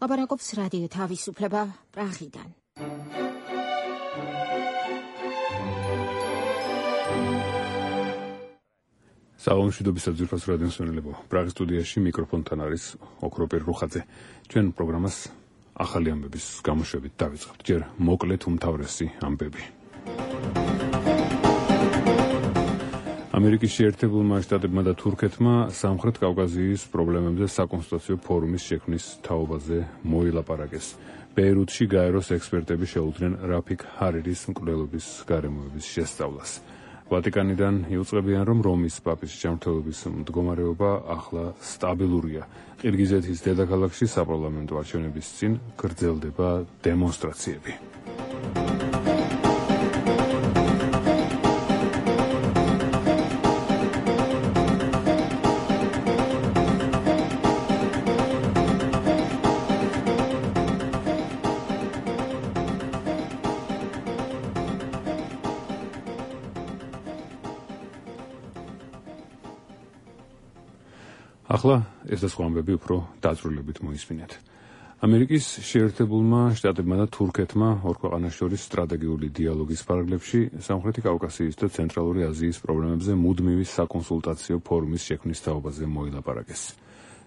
ლაპარაკობს რადიო თავისუფლება პრაღიდან. სალომშვიდობისა ძვირფას რადიოს მსმენელებო, პრაღის სტუდიაში მიკროფონთან არის ოქროპირ რუხაძე. ჩვენ პროგრამას ახალი ამბების გამოშვებით დავიწყებთ. ჯერ მოკლედ უმთავრესი ამბები. ამერიკის შეერთებულმა შტატებმა და თურქეთმა სამხრეთ კავკასიის პრობლემებზე საკონსულტაციო ფორუმის შექმნის თაობაზე მოილაპარაკეს. ბეირუთში გაეროს ექსპერტები შეუდგნენ რაფიქ ჰარირის მკვლელობის გარემოების შესწავლას. ვატიკანიდან იუწყებიან, რომ რომის პაპის ჯანმრთელობის მდგომარეობა ახლა სტაბილურია. ყირგიზეთის დედაქალაქში საპარლამენტო არჩევნების წინ გრძელდება დემონსტრაციები. ახლა ეს და სხვა ამბები უფრო დაწვრილებით მოისმინეთ. ამერიკის შეერთებულმა შტატებმა და თურქეთმა ორ ქვეყანას შორის სტრატეგიული დიალოგის პარალელში სამხრეთი კავკასიის და ცენტრალური აზიის პრობლემებზე მუდმივი საკონსულტაციო ფორუმის შექმნის თაობაზე მოილაპარაკეს.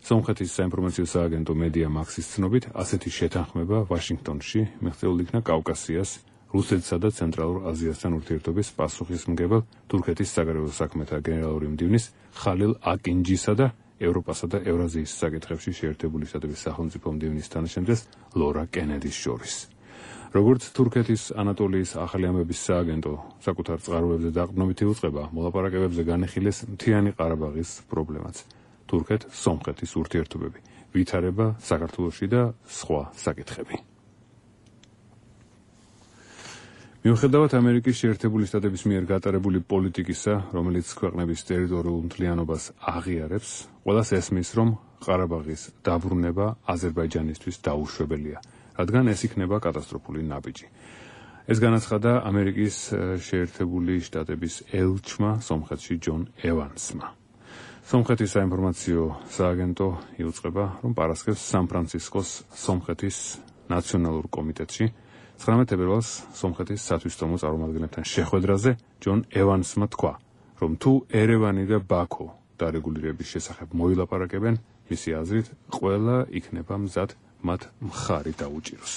სომხეთის საინფორმაციო სააგენტო მედია მაქსის ცნობით, ასეთი შეთანხმება ვაშინგტონში მიღწეულ იქნა კავკასიას, რუსეთსა და ცენტრალურ აზიასთან ურთიერთობის პასუხისმგებელ თურქეთის საგარეო საქმეთა გენერალური მდივნის ხალილ აკინჯისა და ევროპასა და ევრაზიის საკითხებში შეერთებული შტატების სახელმწიფო მდივნის თანაშემწეს ლორა კენედის შორის. როგორც თურქეთის ანატოლიის ახალი ამბების სააგენტო საკუთარ წყაროებზე დაყრდნობით იუწყება, მოლაპარაკებებზე განეხილეს მთიანი ყარაბაღის პრობლემაც, თურქეთ-სომხეთის ურთიერთობები, ვითარება საქართველოში და სხვა საკითხები. მიუხედავად ამერიკის შეერთებული შტატების მიერ გატარებული პოლიტიკისა, რომელიც ქვეყნების ტერიტორიულ მთლიანობას აღიარებს, ყველას ესმის, რომ ყარაბაღის დაბრუნება აზერბაიჯანისთვის დაუშვებელია, რადგან ეს იქნება კატასტროფული ნაბიჯი. ეს განაცხადა ამერიკის შეერთებული შტატების ელჩმა სომხეთში ჯონ ევანსმა. სომხეთის საინფორმაციო სააგენტო იუწყება, რომ პარასკევს სან-ფრანცისკოს სომხეთის ნაციონალურ კომიტეტში 19 თებერვალს სომხეთის სათვისტომო წარმომადგენლებთან შეხვედრაზე ჯონ ევანსმა თქვა, რომ თუ ერევანი და ბაქო დარეგულირების შესახებ მოილაპარაკებენ, მისი აზრით ყველა იქნება მზად მათ მხარი დაუჭიროს.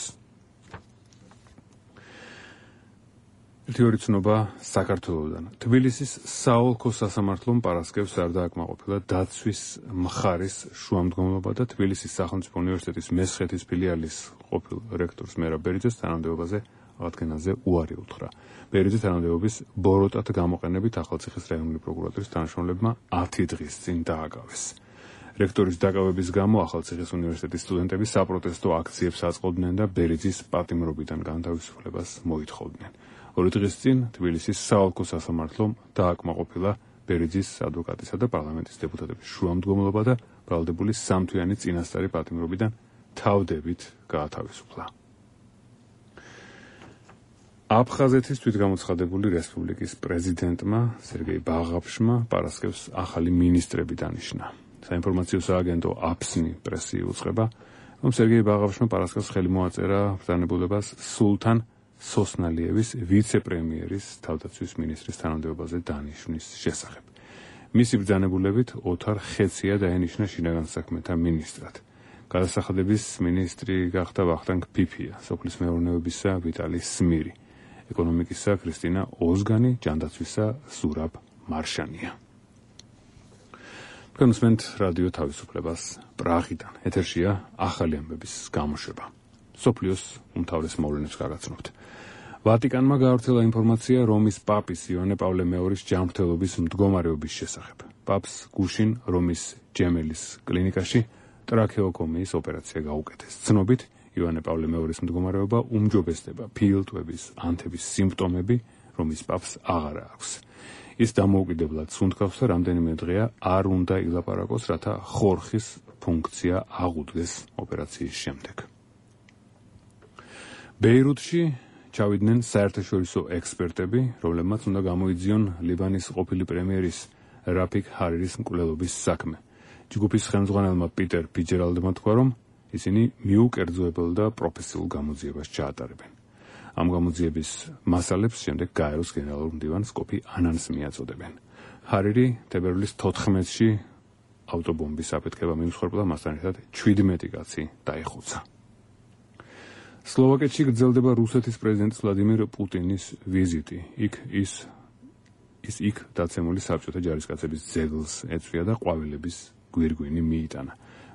ერთი ცნობა საქართველოდან. თბილისის საოლქო სასამართლომ პარასკევს არ დააკმაყოფილა დაცვის მხარის შუამდგომლობა და თბილისის სახელმწიფო უნივერსიტეტის მესხეთის ფილიალის ყოფილ რექტორს მერაბ ბერიძეს თანამდებობაზე აღდგენაზე უარი უთხრა. ბერიძე თანამდებობის ბოროტად გამოყენებით ახალციხის რაიონული პროკურატურის თანამშრომლებმა 10 დღის წინ დააკავეს. რექტორის დაკავების გამო ახალციხის უნივერსიტეტის სტუდენტები საპროტესტო აქციებს აწყობდნენ და ბერიძის პატიმრობიდან განთავისუფლებას მოითხოვდნენ. 2 დღის წინ თბილისის საოლქო სასამართლომ დააკმაყოფილა ბერიძის ადვოკატისა და პარლამენტის დეპუტატების შუამდგომლობა და ბრალდებული 3 თვიანი წინასწარი პატიმრობიდან თავდებით გაათავისუფლა. აფხაზეთის თვითგამოცხადებული რესპუბლიკის პრეზიდენტმა სერგეი ბაღაფშმა პარასკევს ახალი მინისტრები დანიშნა. საინფორმაციო სააგენტო აფსნი პრესი იუწყება, რომ სერგეი ბაღაფშმა პარასკევს ხელი მოაწერა ბრძანებულებას სულთან სოსნალიევის ვიცე-პრემიერის თავდაცვის მინისტრის თანამდებობაზე დანიშვნის შესახებ. მისი ბრძანებულებით ოთარ ხეცია დაენიშნა შინაგან საქმეთა მინისტრად. გადასახადების მინისტრი გახდა ვახტანგ ფიფია, სოფლის მეურნეობისა ვიტალი სმირი, ეკონომიკისა ქრისტინა ოზგანი, ჯანდაცვისა ზურაბ მარშანია. თქვენ უსმენთ რადიო თავისუფლებას პრაღიდან. ეთერშია ახალი ამბების გამოშვება. სოფლიოს უმთავრეს მოვლენებს გაგაცნობთ. ვატიკანმა გაავრცელა ინფორმაცია რომის პაპის იოანე პავლე მეორის ჯანმრთელობის მდგომარეობის შესახებ. პაპს გუშინ რომის ჯემელის კლინიკაში ტრაქეოკომიის ოპერაცია გაუკეთეს. ცნობით, იოანე პავლე მეორის მდგომარეობა უმჯობესდება, ფილტვების, ანთების სიმპტომები რომის პაპს აღარ აქვს. ის დამოუკიდებლად სუნთქავს და რამდენიმე დღეა არ უნდა ილაპარაკოს, რათა ხორხის ფუნქცია აღუდგეს ოპერაციის შემდეგ. ბეირუთში ჩავიდნენ საერთაშორისო ექსპერტები, რომლებმაც უნდა გამოიძიონ ლიბანის ყოფილი პრემიერის რაფიქ ჰარირის მკვლელობის საქმე. ჯგუფის ხელმძღვანელმა პიტერ ფიჯერალდმა თქვა, რომ ისინი მიუკერძოებელ და პროფესიულ გამოძიებას ჩაატარებენ. ამ გამოძიების მასალებს შემდეგ გაეროს გენერალურ მდივანს კოფი ანანს მიაწოდებენ. ჰარირი თებერვლის 14-ში ავტობომბის აფეთქება მიუძღვერპლა, მასთან ერთად 17 კაცი დაიხუცა. სლოვაკეთში გრძელდება რუსეთის პრეზიდენტის ვლადიმირ პუტინის ვიზიტი. იქ დაცემული საბჭოთა ჯარისკაცების ძეგლს ეწვია და ყვავილების გვირგვინი მიიტანა.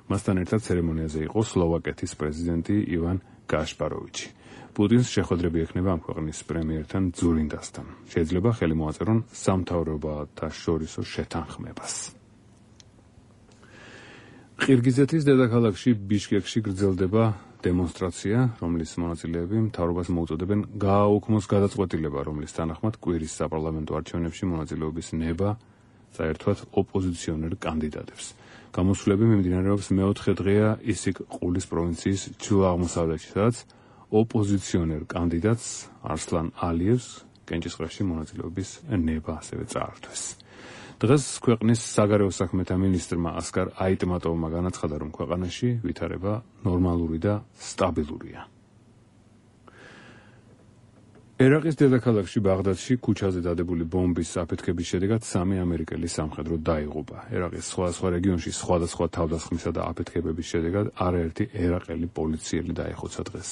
მასთან ერთად ცერემონიაზე იყო სლოვაკეთის პრეზიდენტი ივან გაშპაროვიჩი. პუტინს შეხვედრები ექნება ამ ქვეყნის პრემიერთან ძურინდასთან. შეიძლება ხელი მოაწერონ სამთავრობათა შორისო შეთანხმებას. ყირგიზეთის დედაქალაქში ბიშკეკში გრძელდება დემონსტრაცია, რომლის მონაწილეები მთავრობას მოუწოდებენ გააუქმოს გადაწყვეტილება, რომლის თანახმად კვირის საპარლამენტო არჩევნებში მონაწილეობის ნება საერთოდ ოპოზიციონერ კანდიდატებს. გამოსვლები მიმდინარეობს მეოთხე დღეა ისიკ-ყულის პროვინციის ჩრდილო-აღმოსავლეთში, სადაც ოპოზიციონერ კანდიდატს არსლან ალიევს კენჭისყრაში მონაწილეობის ნება ასევე წაართვეს. დღეს ქვეყნის საგარეო საქმეთა მინისტრმა ასკარ აიტმატოვმა განაცხადა, რომ ქვეყანაში ვითარება ნორმალური და სტაბილურია. ერაყის დედაქალაქში ბაღდადში ქუჩაზე დადებული ბომბის აფეთქების შედეგად 3 ამერიკელი სამხედრო დაიღუპა. ერაყის სხვადასხვა რეგიონში სხვადასხვა თავდასხმისა და აფეთქებების შედეგად არაერთი ერაყელი პოლიციელი დაიხოცა დღეს.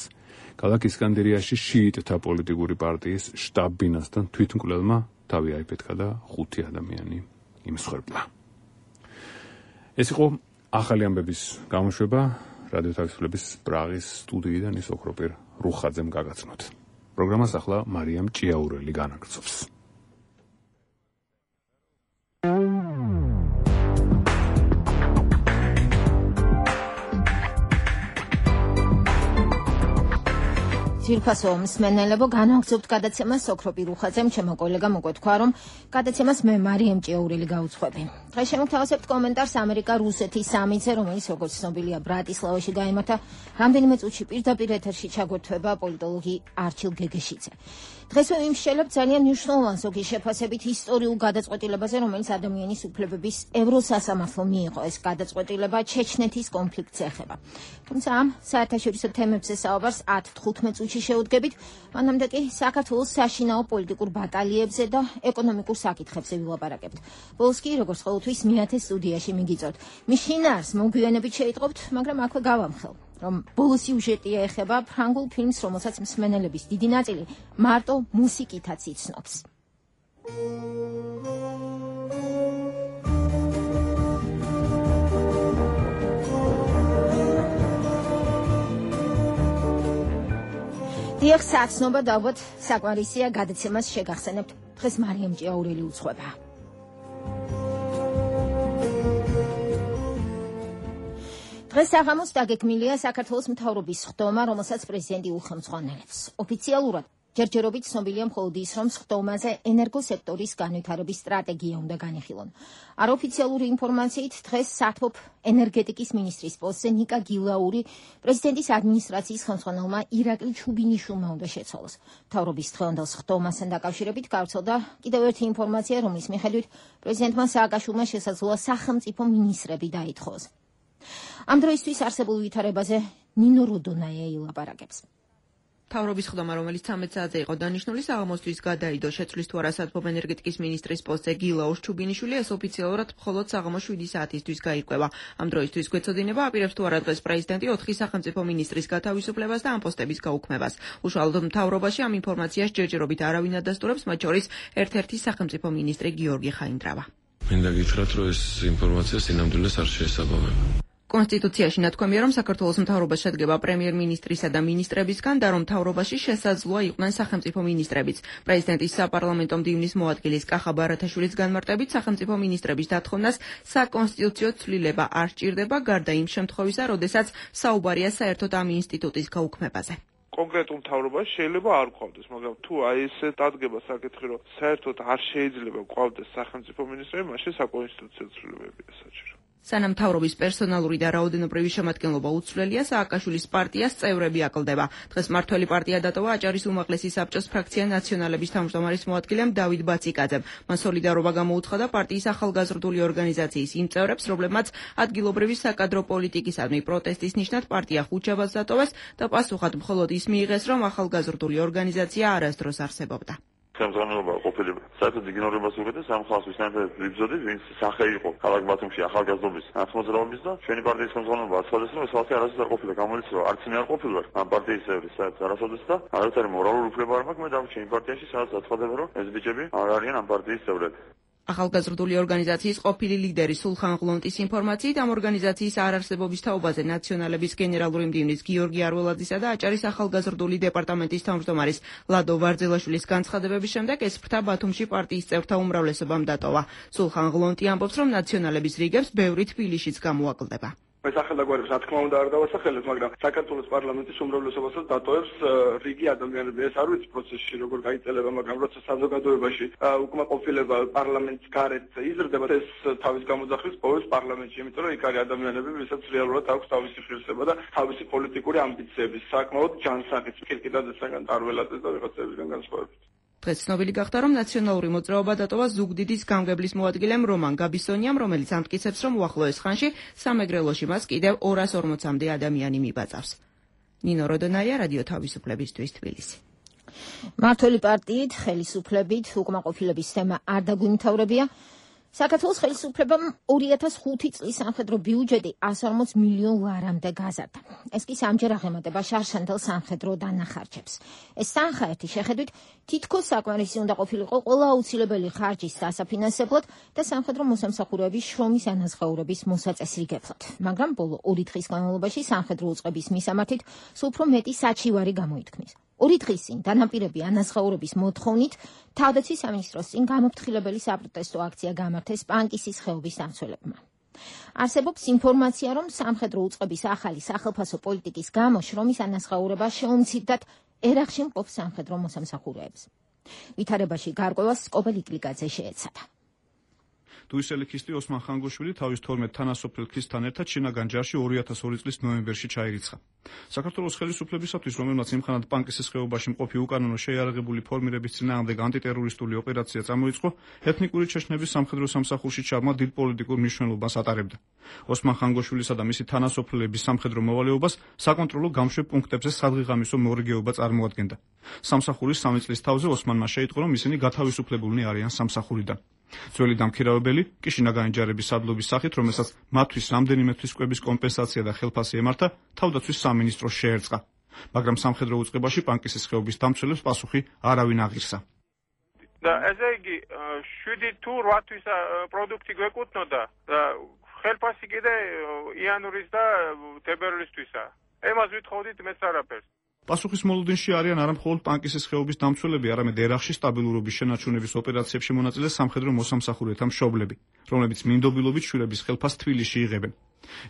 ქალაქ ისკანდერიაში შიიტთა პოლიტიკური პარტიის შტაბ-ბინასთან თვითმკვლელმა თავი აიფეთქა და 5 ადამიანი იმსხვერპლა. ეს იყო ახალი ამბების გამოშვება რადიო თავისუფლების პრაღის სტუდიიდან ის ოქროპირ რუხაძემ გაგაცნოთ. პროგრამას ახლა მარიამ ჭიაურელი განაგრძობს. ძირფასო მსმენელებო, განაგრძობთ გადაცემას ოქროპირ რუხაძემ, ჩემო კოლეგამ უკვე თქვა, რომ გადაცემას მე მარიამ ჭიაურელი გავუძღვები. დღეს შემოგთავაზებთ კომენტარს ამერიკა-რუსეთის სამიტზე, რომელიც როგორც ცნობილია ბრატისლავაში გაიმართა. რამდენიმე წუთში პირდაპირ ეთერში ჩაგვერთვება პოლიტოლოგი არჩილ გეგეშიძე. დღეს ვიმსჯელებთ ძალიან მნიშვნელოვან ზოგი შეფასებით ისტორიულ გადაწყვეტილებაზე, რომელიც ადამიანის უფლებების ევროსასამართლომ მიიღო. ეს გადაწყვეტილება ჩეჩნეთის კონფლიქტს ეხება. თუმცა ამ საერთაშორისო თემებზე საუბარს 10-15 წუთში შევუდგებით, მანამდე კი საქართველოს საშინაო პოლიტიკურ ბატალიებზე და ეკონომიკურ საკითხებზე ვილაპარაკებთ. ბოლოს კი, როგორც ყოველთვის, მეათე სტუდიაში მიგიწევთ. მის შინაარს მოგვიანებით შეიტყობთ, მაგრამ აქვე გავამხელ, რომ ბოლოს სიუჟეტია ეხება ფრანგულ ფილმს, რომელსაც მსმენელების დიდი ნაწილი მარტო მუსიკითაც იცნობს. დიახ, საცნობა და ალბათ საკვარისია გადაცემას შეგახსენებთ. დღეს მარიამ ჭიაურელი უძღვება. დღეს საღამოს დაგეგმილია საქართველოს მთავრობის ხდომა, რომელსაც პრეზიდენტი უხელმძღვანელებს. ოფიციალურად ჯერჯერობით ცნობილია მხოლოდ ის, რომ ხდომაზე ენერგოსექტორის განვითარების სტრატეგია უნდა განიხილონ. არაოფიციალური ინფორმაციით დღეს საათბობ ენერგეტიკის მინისტრის პოსტზე ნიკა გილაური პრეზიდენტის ადმინისტრაციის ხელმძღვანელმა ირაკლი ჩუბინიშვილმა უნდა შეცვალოს. მთავრობის დღევანდელ ხდომასთან დაკავშირებით გავრცელდა კიდევ ერთი ინფორმაცია, რომლის მიხედვით პრეზიდენტმა სააკაშვილმა შესაძლოა სახელმწიფო მინისტრები დაითხოვოს. ამ დროისთვის არსებულ ვითარებაზე ნინო როდონაია ილაპარაკებს. მთავრობის ხდომა, რომელიც 13 საათზე იყო დანიშნული, საღამოსთვის გადაიდო. შეცვლის თუ არა საათბობ ენერგეტიკის მინისტრის პოსტზე გილაურს ჩუბინიშვილი, ეს ოფიციალურად მხოლოდ საღამოს 7 საათისთვის გაირკვევა. ამ დროისთვის გვეცოდინება აპირებს თუ არა დღეს პრეზიდენტი 4 სახელმწიფო მინისტრის გათავისუფლებას და ამ პოსტების გაუქმებას. უშუალოდ მთავრობაში ამ ინფორმაციას ჯერჯერობით არავინ ადასტურებს, მათ შორის ერთ-ერთი სახელმწიფო მინისტრი გიორგი ხაინდრავა. მინდა გითხრათ, რომ ეს ინფორმაცია სინამდვილეს არ შეესაბამება. კონსტიტუციაში ნათქვამია, რომ საქართველოს მთავრობა შედგება პრემიერ-მინისტრისა და მინისტრებისგან და რომ მთავრობაში შესაძლოა იყვნენ სახელმწიფო მინისტრებიც. პრეზიდენტის საპარლამენტო მდივნის მოადგილის კახა ბარათაშვილის განმარტებით, სახელმწიფო მინისტრების დათხოვნას საკონსტიტუციო ცვლილება არ სჭირდება, გარდა იმ შემთხვევისა, როდესაც საუბარია საერთოდ ამ ინსტიტუტის გაუქმებაზე. კონკრეტულ მთავრობაში შეიძლება არ გვყავდეს, მაგრამ თუ აი ესე დადგება საკითხი, რომ საერთოდ არ შეიძლება გვყავდეს სახელმწიფო მინისტრები, მაშინ საკონსტიტუციო ცვლილებებია საჭირო. სანამ მთავრობის პერსონალური და რაოდენობრივი შემადგენლობა უცვლელია, სააკაშვილის პარტიას წევრები აკლდება. დღეს მართველი პარტია დატოვა აჭარის უმაღლესი საბჭოს ფრაქცია ნაციონალების თავმჯდომარის მოადგილემ დავით ბაციკაძემ. მან სოლიდარობა გამოუცხადა პარტიის ახალგაზრდული ორგანიზაციის იმ წევრებს, რომლებმაც ადგილობრივი საკადრო პოლიტიკისადმი პროტესტის ნიშნად პარტია ხუთშაბათს დატოვეს და პასუხად მხოლოდ ის მიიღეს, რომ ახალგაზრდული ორგანიზაცია არასდროს არსებობდა. Სამზანობა ყოფილი საერთოდ იგნორებას უღებდეს ამ ხალხს ვისთანაც ვიბრძოდი, ვინც სახე იყო ქალაქ ბათუმში ახალგაზრდობის მოძრაობის და ჩვენი პარტიის სამზანობა აცვალეს, რომ ეს ხალხი არასოდეს არ ყოფილა, გამოიცა რომ არც მე არ ყოფილვარ ამ პარტიის წევრი, საერთოდ არასოდეს და არათარი მორალური უფლება არ მაქვს, მე დავჩენი პარტიაში, სადაც აცხადება, რომ ეს ბიჭები არ არიან ამ პარტიის წევრები. ახალგაზრდული ორგანიზაციის ყოფილი ლიდერი სულხან ღლონტის ინფორმაციით ამ ორგანიზაციის არარსებობის თაობაზე ნაციონალების გენერალური მდივნის გიორგი არველაძისა და აჭარის ახალგაზრდული დეპარტამენტის თავმჯდომარის ლადო ვარძელაშვილის განცხადებების შემდეგ ეს ფრთა ბათუმში პარტიის წევრთა უმრავლესობამ დატოვა. სულხან ღლონტი ამბობს, რომ ნაციონალების რიგებს ბევრი თბილისშიც გამოაკლდება. მე სახელდაგვარებს რა თქმა უნდა არ დავასახელებ, მაგრამ საქართველოს პარლამენტის უმრავლესობასაც დატოვებს რიგი ადამიანები. ეს არ ვიცი პროცესში როგორ გაიწელება, მაგრამ როცა საზოგადოებაში უკმაყოფილება პარლამენტის გარეთ იზრდება, ეს თავის გამოძახვის პოვებს პარლამენტში, იმიტომ რომ იქ არის ადამიანები, ვისაც რეალურად აქვს თავისი ღირსება და თავისი პოლიტიკური ამბიციები, საკმაოდ ჯანსაღი კირკიდაძესგან, ტარველაძეს და ვიღაცებისგან განსხვავებით. დღეს ცნობილი გახდა, რომ ნაციონალური მოძრაობა დატოვა ზუგდიდის გამგებლის მოადგილემ რომან გაბისონიამ, რომელიც ამტკიცებს, რომ უახლოეს ხანში სამეგრელოში მას კიდევ 240-მდე ადამიანი მიბაწავს. ნინო როდონაია, რადიო თავისუფლებისთვის, თბილისი. მართველი პარტიით, ხელისუფლებით, უკმაყოფილების თემა არ დაგვიმთავრებია. საქართველოს ხელისუფლებამ 2005 წლის სამხედრო ბიუჯეტი 140 მილიონ ლარამდე გაზარდა. ეს კი სამჯერ აღემატება შარშანთელ სამხედრო დანახარჯებს. ეს თანხაერთი შეხედვით თითქოს საკმარისი უნდა ყოფილიყო ყველა აუცილებელი ხარჯის დასაფინანსებლად და სამხედრო მოსამსახურეების შრომის ანაზღაურების მოსაწესრიგებლად. მაგრამ ბოლო 2 დღის განმავლობაში სამხედრო უწყების მისამართით სულ უფრო მეტი საჩივარი გამოითქმის. 2 დღის წინ დანაპირები ანაზღაურების მოთხოვნით თავდაცვის სამინისტროს წინ გამოფრთხილებელი საპროტესტო აქცია გამართეს პანკისის ხეობის დამცველებმა. არსებობს ინფორმაცია, რომ სამხედრო უწყების ახალი სახელფასო პოლიტიკის გამო შრომის ანაზღაურება შეუმცირდათ ერახში მყოფ სამხედრო მოსამსახურეებს. ვითარებაში გარკვევას სკობელ იკლიკაძე შეეცადა. თუ ის ელიქისტი ოსმან ხანგოშვილი თავის 12 თანასოფლელ ქისთან ერთად შინაგან ჯარში 2002 წლის ნოემბერში ჩაირიცხა. საქართველოს ხელისუფლებისათვის, რომელმაც იმხანად პანკისის ხეობაში მყოფი უკანონო შეიარაღებული ფორმირების წინააღმდეგ ანტიტერორისტული ოპერაცია წამოიწყო, ეთნიკური ჩეჩნების სამხედრო სამსახურში ჩაბმა დიდ პოლიტიკურ მნიშვნელობას ატარებდა. ოსმან ხანგოშვილისა და მისი თანასოფლელების სამხედრო მოვალეობას საკონტროლო გამშვებ პუნქტებზე სადღეღამისო მორიგეობა წარმოადგენდა. სამსახურის 3 წლის თავზე ოსმანმა შეიტყო, რომ ისინი გათავისუფლებულნი არიან სამსახურიდან. ძველი დამქირავებელი კი შინაგანი ჯარების სადლობის სახით, რომელსაც მათთვის რამდენიმე თვის კვების კომპენსაცია და ხელფასი ემართა, თავდაცვის სამინისტროს შეერწყა. მაგრამ სამხედრო უწყებაში პანკისის ხეობის დამცველებს პასუხი არავინ აღირსა. და ესე იგი 7 თუ 8 თვის პროდუქტი გვეკუთვნოდა და ხელფასი კიდე იანვრის და თებერვლისთვისა. ემას ვითხოვდით მეც არაფერს. პასუხის მოლოდინში არიან არა მხოლოდ პანკისის ხეობის დამცველები, არამედ ერახში სტაბილურობის შენარჩუნების ოპერაციებში მონაწილე სამხედრო მოსამსახურეთა მშობლები, რომლებიც მინდობილობით შვილების ხელფასს თბილისში იღებენ.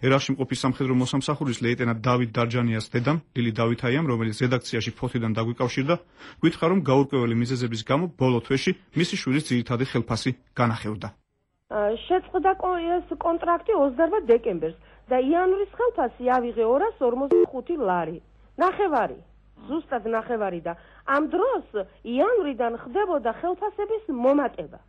ერახში მყოფი სამხედრო მოსამსახურის ლეიტენანტ დავით დარჯანიას დედამ, ლილი დავითაიამ, რომელიც რედაქციაში ფოთიდან დაგვიკავშირდა, გითხრა, რომ გაურკვეველი მიზეზების გამო ბოლო თვეში მისი შვილის ძირითადი ხელფასი განახევრდა. შეწყდა ეს კონტრაქტი 28 დეკემბერს და იანვრის ხელფასი ავიღე 245 ლარი. ნახევარი, ზუსტად ნახევარი და ამ დროს იანვრიდან ხდებოდა ხელფასების მომატება.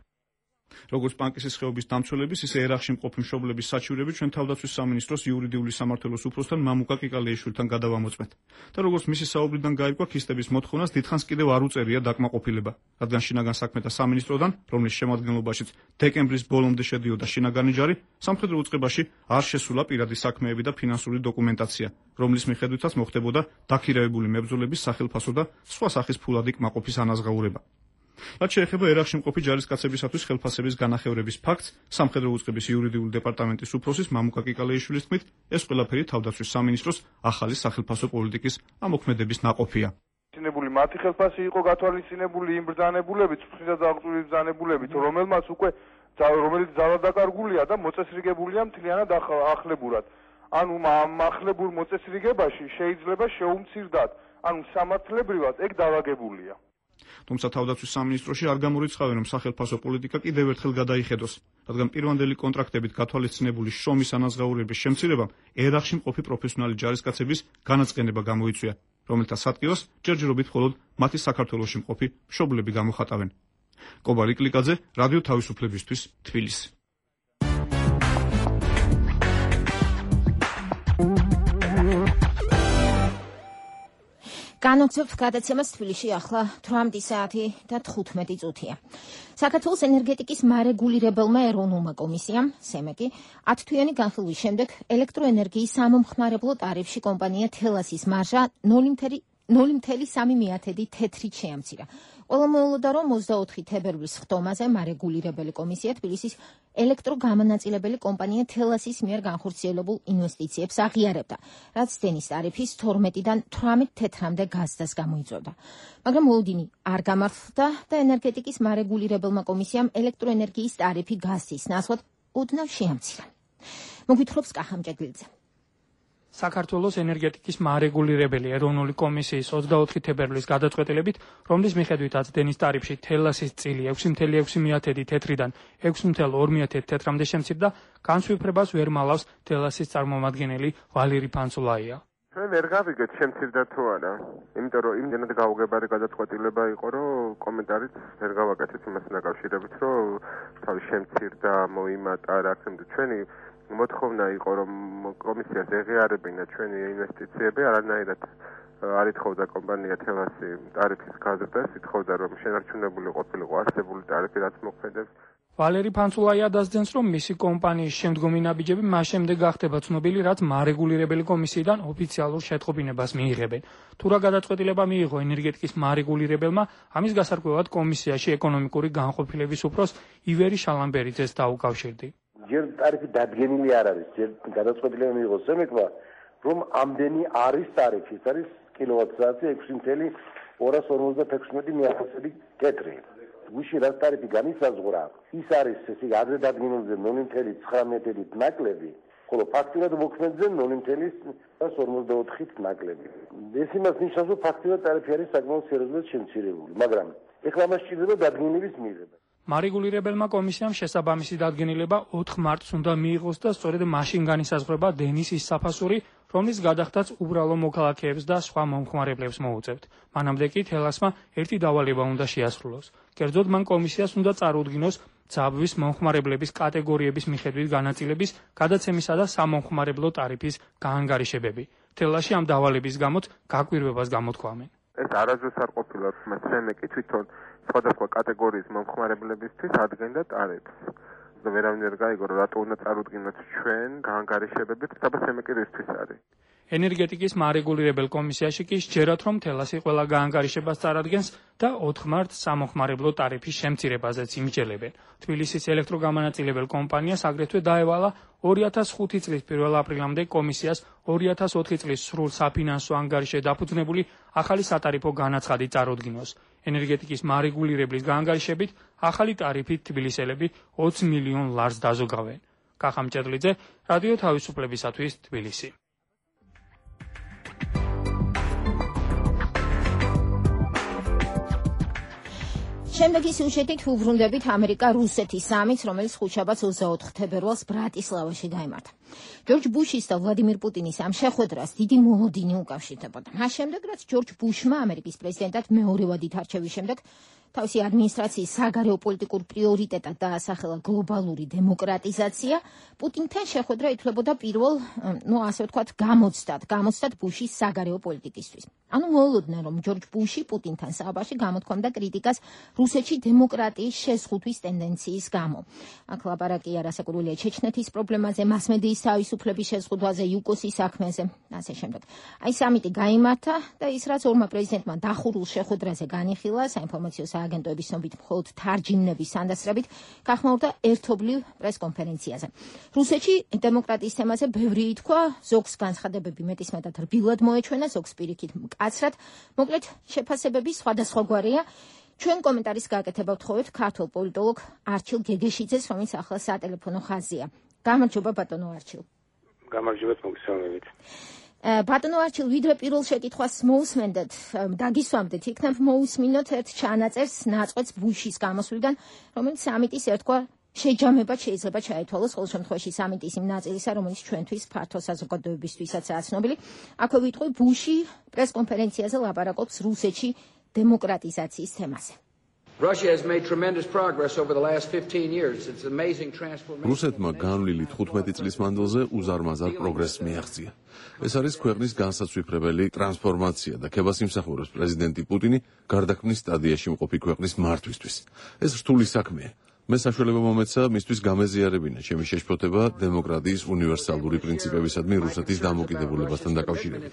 როგორც პანკისის ხეობის დამცველების, ისე ერახში მყოფი მშობლების საჩივრები ჩვენ თავდაცვის სამინისტროს იურიდიული სამმართველოს უფროსთან მამუკა კიკალეიშვილთან გადავამოწმეთ. და როგორც მისი საუბრიდან გაირკვა, ქისტების მოთხოვნას დიდხანს კიდევ არ უწერია დაკმაყოფილება, რადგან შინაგან საქმეთა სამინისტროდან, რომლის შემადგენლობაშიც დეკემბრის ბოლომდე შედიოდა შინაგანი ჯარი, სამხედრო უწყებაში არ შესულა პირადი საქმეები და ფინანსური დოკუმენტაცია, რომლის მიხედვითაც მოხდებოდა დაქირავებული მებრძოლების სახელფასო და სხვა სახის ფულადი კმაყოფის ანაზღაურება. რაც შეეხება ერახში მყოფი ჯარისკაცებისათვის ხელფასების განახევრების ფაქტს, სამხედრო უწყების იურიდიული დეპარტამენტის უფროსის მამუკა კიკალეიშვილის თქმით, ეს ყველაფერი თავდაცვის სამინისტროს ახალი სახელფასო პოლიტიკის ამოქმედების ნაყოფია. ცინებული მათი ხელფასი იყო გათვალისწინებული იმ ბრძანებულებით, წვრთნისა და აღწვილი ბრძანებულებით, რომელიც ძალადაკარგულია და მოწესრიგებულია მთლიანად ახლებურად. ანუ ამ ახლებურ მოწესრიგებაში შეიძლება შეუმცირდათ, ანუ სამართლებრივად ეგ დავაგებულია. თუმცა თავდაცვის სამინისტროში არ გამორიცხავენ, რომ სახელმწიფო პოლიტიკა კიდევ ერთხელ გადაიხედოს, რადგან პირვანდელი კონტრაქტებით გათვალისწინებული შრომის ანაზღაურების შემცირებამ ერახში მყოფი პროფესიონალი ჯარისკაცების განაწყენება გამოიწვია, რომელთა სატკივას ჯერჯერობით მხოლოდ მათი საქართველოში მყოფი მშობლები გამოხატავენ. კობარ იკლიკაძე, რადიო თავისუფლებისთვის, თბილისი. განვცემთ გადაცემას თბილისში ახლა 18 საათი და 15 წუთია. საქართველოს ენერგეტიკის მარეგულირებელმა ეროვნულმა კომისიამ, სემეკი, 10 თვიანი განხილვის შემდეგ ელექტროენერგიის სამომხმარებლო ტარიფში კომპანია თელასის მარჟა 0.3 თეთრით შეამცირა. ყველა მოულოდა, რომ 24 თებერვლის ხტომაზე მარეგულირებელი კომისია თბილისის ელექტროგამონაწილებელი კომპანია თელასის მიერ განხორციელებულ ინვესტიციებს აღიარებდა, რაც დენის ტარიფის 12-დან 18 თეთრამდე გაზდას გამოიწვევდა. მაგრამ მოლოდინი არ გამართლდა და ენერგეტიკის მარეგულირებელმა კომისიამ ელექტროენერგიის ტარიფი გაზის ნაცვლად ოდნავ შეამცირა. მოგვითხრობს კახამჭედლიძე. საქართველოს ენერგეტიკის მარეგულირებელი ეროვნული კომისიის 24 თებერვლის გადაწყვეტილებით, რომლის მიხედვითაც დენის ტარიფში თელასის წილი 6.6 თეთრიდან 6.2 თეთრამდე შემცირდა, განსვიფრებას ვერ მალავს თელასის წარმომადგენელი ვალერი ფანცულაია. ჩვენ ვერ გავიგეთ შემცირდა თუ არა, იმიტომ რომ იმდენად გაუგებარი გადაწყვეტილება იყო, რომ კომენტარიც ვერ გავაკეთეთ იმასთან დაკავშირებით, რომ თავი შემცირდა, მოიმატა, რა თქმა უნდა, ჩვენი მოთხოვნა იყო, რომ კომისიას ეღიარებინა ჩვენი ინვესტიციები, არანაირად არ ითხოვდა კომპანია თელასი ტარიფის გაზრდას, ითხოვდა, რომ შენარჩუნებული ყოფილიყო არსებული ტარიფი, რაც მოქმედებს. ვალერი ფანცულაია დასძენს, რომ მისი კომპანიის შემდგომი ნაბიჯები მას შემდეგ გახდება ცნობილი, რაც მარეგულირებელი კომისიიდან ოფიციალურ შეტყობინებას მიიღებენ. თუ რა გადაწყვეტილება მიიღო ენერგეტიკის მარეგულირებელმა, ამის გასარკვევად კომისიაში ეკონომიკური განყოფილების უფროს ივერი შალამბერიძეს დაუკავშირდი. ჯერ ტარიფი დადგენილი არ არის, ჯერ გადაწყვეტილება მიიღო სემეკმა, რომ ამდენი არის ტარიფი, ეს არის კილოვატ-საათი 6.256 თეთრი. გუში რაც ტარიფი განისაზღვრა, ის არის ესე ადრე დადგენილზე 0.19 ნაკლები, ხოლო ფაქტურად მოქმედზე 0.44 ნაკლები. ეს იმას ნიშნავს, რომ ფაქტურად ტარიფი არის საკმაოდ სერიოზულად შემცირებული, მაგრამ ეხლა მას სჭირდება დადგენილების მიღება. მარეგულირებელმა კომისიამ შესაბამისი დადგენილება 4 მარტს უნდა მიიღოს და სწორედ მაშინ განისაზღვრება დენის ის საფასური, რომლის გადახდაც უბრალო მოქალაქეებს და სხვა მომხმარებლებს მოუწევთ. მანამდე კი თელასმა ერთი დავალება უნდა შეასრულოს. კერძოდ მან კომისიას უნდა წარუდგინოს ძაბვის მომხმარებლების კატეგორიების მიხედვით განაწილების, გადაცემისა და სამომხმარებლო ტარიფის გაანგარიშებები. თელასში ამ დავალების გამოც გაკვირვებას გამოთქვამენ. ეს არასდროს არ ყოფილა, მაგრამ სემეკი თვითონ სხვადასხვა კატეგორიის მომხმარებლებისთვის ადგენდა ტარიფს. ვერავინ ვერ გაიგო, რომ რატო უნდა წარუდგინოთ ჩვენ გაანგარიშებებით, სადაც სემეკი რისთვის არის. ენერგეტიკის მარეგულირებელ კომისიაში კი სჯერათ, რომ თელასი ყველა გაანგარიშებას წარადგენს და 4 მარტს სამომხმარებლო ტარიფის შემცირებაზეც იმსჯელებენ. თბილისის ელექტროგამონაწილებელ კომპანიას აგრეთვე დაევალა 2005 წლის 1 აპრილამდე კომისიას 2004 წლის სრულ საფინანსო ანგარიშზე დაფუძნებული ახალი სატარიფო განაცხადი წარუდგინოს. ენერგეტიკის მარეგულირებლის გაანგარიშებით ახალი ტარიფით თბილისელები 20 მილიონ ლარს დაზოგავენ. კახამჭედლიძე, რადიო თავისუფლებისათვის, თბილისი. შემდეგი სიუჟეტით უბრუნდებით ამერიკა-რუსეთის სამიტს, რომელიც ხუთშაბათს 24 თებერვალს ბრატისლავაში გაიმართა. ჯორჯ ბუშის და ვლადიმირ პუტინის ამ შეხვედრას დიდი მოლოდინი უკავშირდებოდა. მას შემდეგ, რაც ჯორჯ ბუშმა ამერიკის პრეზიდენტად მეორე ვადით არჩევის შემდეგ თავისი ადმინისტრაციის საგარეო პოლიტიკურ პრიორიტეტად დაასახელა გლობალური დემოკრატიზაცია, პუტინთან შეხვედრა ითვლებოდა პირველ, ასე ვთქვათ, გამოცდად ბუშის საგარეო პოლიტიკისთვის. ანუ მოულოდნა, რომ ჯორჯ ბუში პუტინთან საუბარში გამოთქვამდა კრიტიკას რუსეთში დემოკრატიის შეზღუდვის ტენდენციის გამო. აქ ლაპარაკია რასაკურველია ჩეჩნეთის პრობლემაზე, მასმედიის თავისუფლების შეზღუდვაზე, იუკოსის საქმეზე, ასე შემდეგ. აი სამიტი გაიმართა და ის რაც ორმა პრეზიდენტმა დახურულ შეხვედრაზე განიხილა, საინფორმაციო სააგენტოების ცნობით მხოლოდ თარჯიმნების სანდასრებით, გახმაურდა ერთობლივ პრესკონფერენციაზე. რუსეთში დემოკრატიის თემაზე ბევრი ითქვა, ზოგს განცხადებები მეტისმეტად რბილად მოეჩვენა, ზოგს პირიქით მკაცრად. მოკლედ, შეფასებები სხვადასხვაგვარია. ჩვენ კომენტარის გაკეთება ვთხოვეთ ქართულ პოლიტოლოგ არჩილ გეგეშიძეს, რომელიც ახლა სატელეფონო ხაზია. გამარჯობა ბატონო არჩილ. გამარჯობა მოგესალმებით. ბატონო არჩილ, ვიდრე პირველ შეკითხვას მოусმენდეთ, დაგისვამდეთ, იქნებ მოусმინოთ ერთ ჩანაწერს ნაწყვეტს ბუშის გამოსვლიდან, რომელიც სამიტის ერთგვარ შეჯამებად შეიძლება ჩაითვალოს, ყოველ შემთხვევაში სამიტის იმ ნაწილისა, რომელიც ჩვენთვის ფართო საზოგადოებისთვისაც ცნობილი. აქვე ვიტყვი, ბუში პრესკონფერენციაზე ლაპარაკობს რუსეთში დემოკრატიზაციის თემაზე. რუსეთმა განვლილი 15 წლის მანძილზე უზარმაზარ პროგრესს მიაღწია. ეს არის ქვეყნის განსაცვიფრებელი ტრანსფორმაცია და ქებას იმსახურებს პრეზიდენტი პუტინი გარდაქმნის სტადიაში მყოფი ქვეყნის მართვისთვის. ეს რთული საქმეა. მე საშუალება მომეცა მისთვის გამეზიარებინა ჩემი შეშფოთება დემოკრატიის უნივერსალური პრინციპებისადმი რუსეთის დამოკიდებულებასთან დაკავშირებით.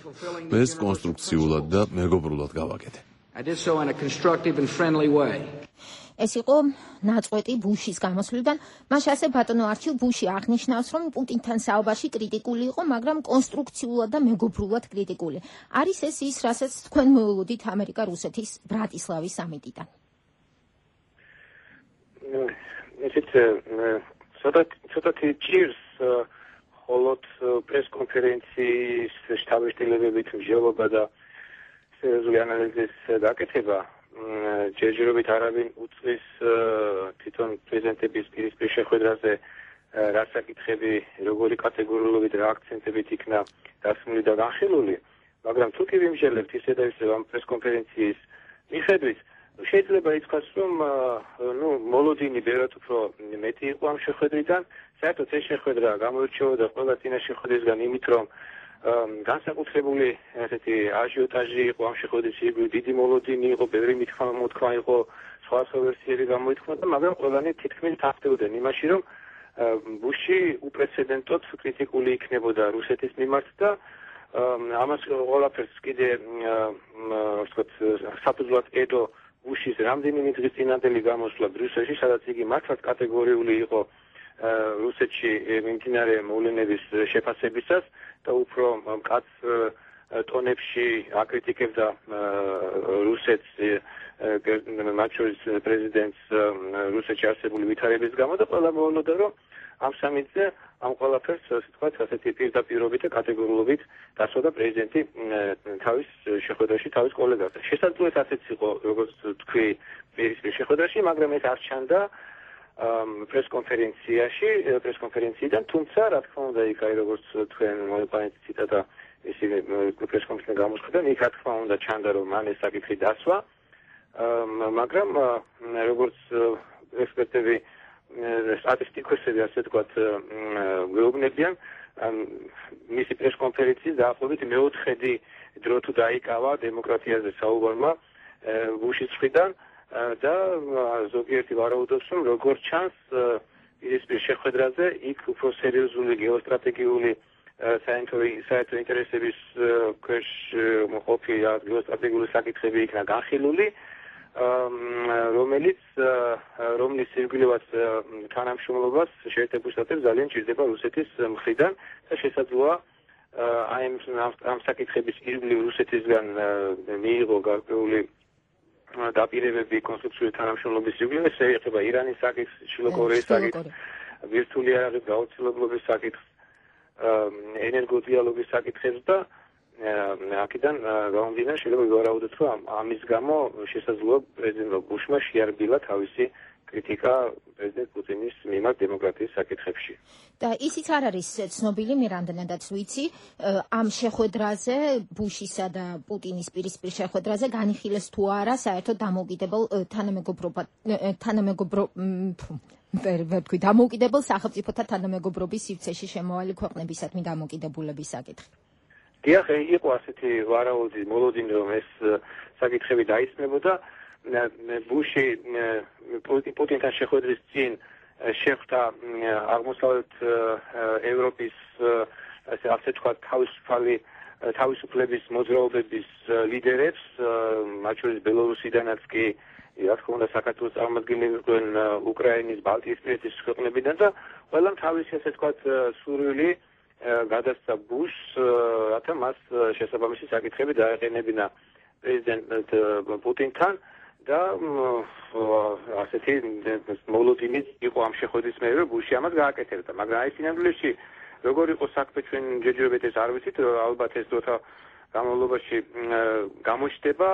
მე ეს კონსტრუქციულად და მეგობრულად გავაკეთე. ეს იყო ნაწყვეტი ბუშის გამოსვლიდან. მაშ ასე ბატონო არჩილ, ბუში აღნიშნავს, რომ პუტინთან საუბარში კრიტიკული იყო, მაგრამ კონსტრუქციულად და მეგობრულად კრიტიკული. არის ეს ის, რასაც თქვენ მოულოდით ამერიკა-რუსეთის ბრატისლავის სამიტიდან? ისეთ ცოტათი ჭირს ხოლოდ პრესკონფერენციის შტაბ-შტილებებით მსჯელობა და სერიოზული ანალიზის გაკეთება ჯერჯერობით არავინ უწვის თვითონ პრეზიდენტების პირისპირ შეხვედრაზე რა საკითხები, როგორი კატეგორიულობით რა აქცენტებით იქნა დასმული და განხილული, მაგრამ თუ კი ვიმსჯელებთ ისე და ისე ამ პრესკონფერენციის მიხედვით, შეიძლება ითქვას, რომ მოლოდინი ბევრად უფრო მეტი იყო ამ შეხვედრიდან. საერთოდ ეს შეხვედრა გამოირჩეოდა ყველა წინა შეხვედრისგან იმით, რომ განსაკუთრებული ესეთი აჟიოტაჟი იყო ამ შეხვედრის ირგვლივ, დიდი მოლოდინი იყო, ბევრი მოთქმა იყო, სხვა ვერსიები გამოითქმა, მაგრამ ყველანი თითქმის თანხმდებოდნენ იმაში, რომ ბუში უპრეცედენტოდ კრიტიკული იქნებოდა რუსეთის მიმართ და ამას ყველაფერს კიდე საფუძვლად ედო ბუშის რამდენიმე დღის წინანდელი გამოსვლა ბრიუსელში, სადაც იგი მართლაც კატეგორიული იყო რუსეთში მიმდინარე მოვლენების შეფასებისას და უფრო მკაც ტონებში აკრიტიკებდა რუსეთს, მათ შორის პრეზიდენტს რუსეთში არსებული ვითარების გამო და ყველა მოულოდა, რომ ამ სამიტზე ამ ყველაფერს თქვათ ასეთი პირდაპირობით და კატეგორიულობით დასვოდა პრეზიდენტი თავის შეხვედრაში თავის კოლეგასთან. შესაძლოა ასეც იყო, როგორც თქვი, პირისპირ შეხვედრაში, მაგრამ ეს არ ჩანდა პრესკონფერენციიდან, თუმცა რა თქმა უნდა იქ აი როგორც თქვენ მოიყვანეთ ციტატა ისინი პრესკონფერენციაში გამოსხდნენ, იქ რა თქმა უნდა ჩანდა რომ მან ეს საკითხი დასვა, მაგრამ როგორც ექსპერტები სტატისტიკოსები ასე ვთქვათ გვეუბნებიან, მისი პრესკონფერენციის დაახლოებით მეოთხედი დრო თუ დაიკავა დემოკრატიაზე საუბარმა ბუშის მხრიდან და ზოგიერთი ვარაუდობს, რომ როგორც ჩანს პირისპირ შეხვედრაზე იქ უფრო სერიოზული გეოსტრატეგიული საერთო ინტერესების ქვეშ მყოფი გეოსტრატეგიული საკითხები იქნა განხილული, რომლის ირგვლივაც თანამშრომლობას შეერთებულ შტატებს ძალიან ჭირდება რუსეთის მხრიდან და შესაძლოა ამ საკითხების ირგვლივ რუსეთისგან მიიღო გარკვეული დაპირებები კონსტრუქციული თანამშრომლობის ირგვლივ, ეს ეხება ირანის საკითხს, შუა კორეის საკითხს, ვირტუალური იარაღის გაუცილებლობის საკითხს, ენერგოდიალოგის საკითხებს და აქედან გამომდინარე შეიძლება ვივარაუდოთ, რომ ამის გამო შესაძლოა პრეზიდენტ ბუშმა შეარბილა თავისი კრიტიკა პრეზიდენტ პუტინის მიმართ დემოკრატიის საკითხებში. და ისიც არ არის ცნობილი, მე რამდენადაც ვიცი, ამ შეხვედრაზე, ბუშისა და პუტინის პირისპირ შეხვედრაზე განიხილეს თუ არა საერთოდ დამოუკიდებელ სახელმწიფოთა თანამეგობრობის სივრცეში შემავალი ქვეყნებისადმი დამოკიდებულების საკითხი. დიახ, იყო ასეთი ვარაუდი მოლოდინი, რომ ეს საკითხები დაისმებოდა. ბუში პუტინთან შეხვედრის წინ შეხვდა აღმოსავლეთ ევროპის ასე თქვათ თავისუფლების მოძრაობების ლიდერებს, მათ შორის ბელორუსიდანაც კი რა თქმა უნდა საქართველოს წარმომადგენლები იყვნენ, უკრაინის, ბალტიისპირეთის ქვეყნებიდან და ყველამ თავისი ასე თქვათ სურვილი გადასცა ბუშს, რათა მას შესაბამისი საკითხები დაეყენებინა პრეზიდენტ პუტინთან და ასეთი მოლოდინი იყო ამ შეხვედრის მერე, ბუში ამას გააკეთებდა, მაგრამ აი სინამდვილეში როგორ იყო საქმე ჩვენ ჯერჯერობით ეს არ ვიცით, ალბათ ეს დროთა განმავლობაში გამოჩნდება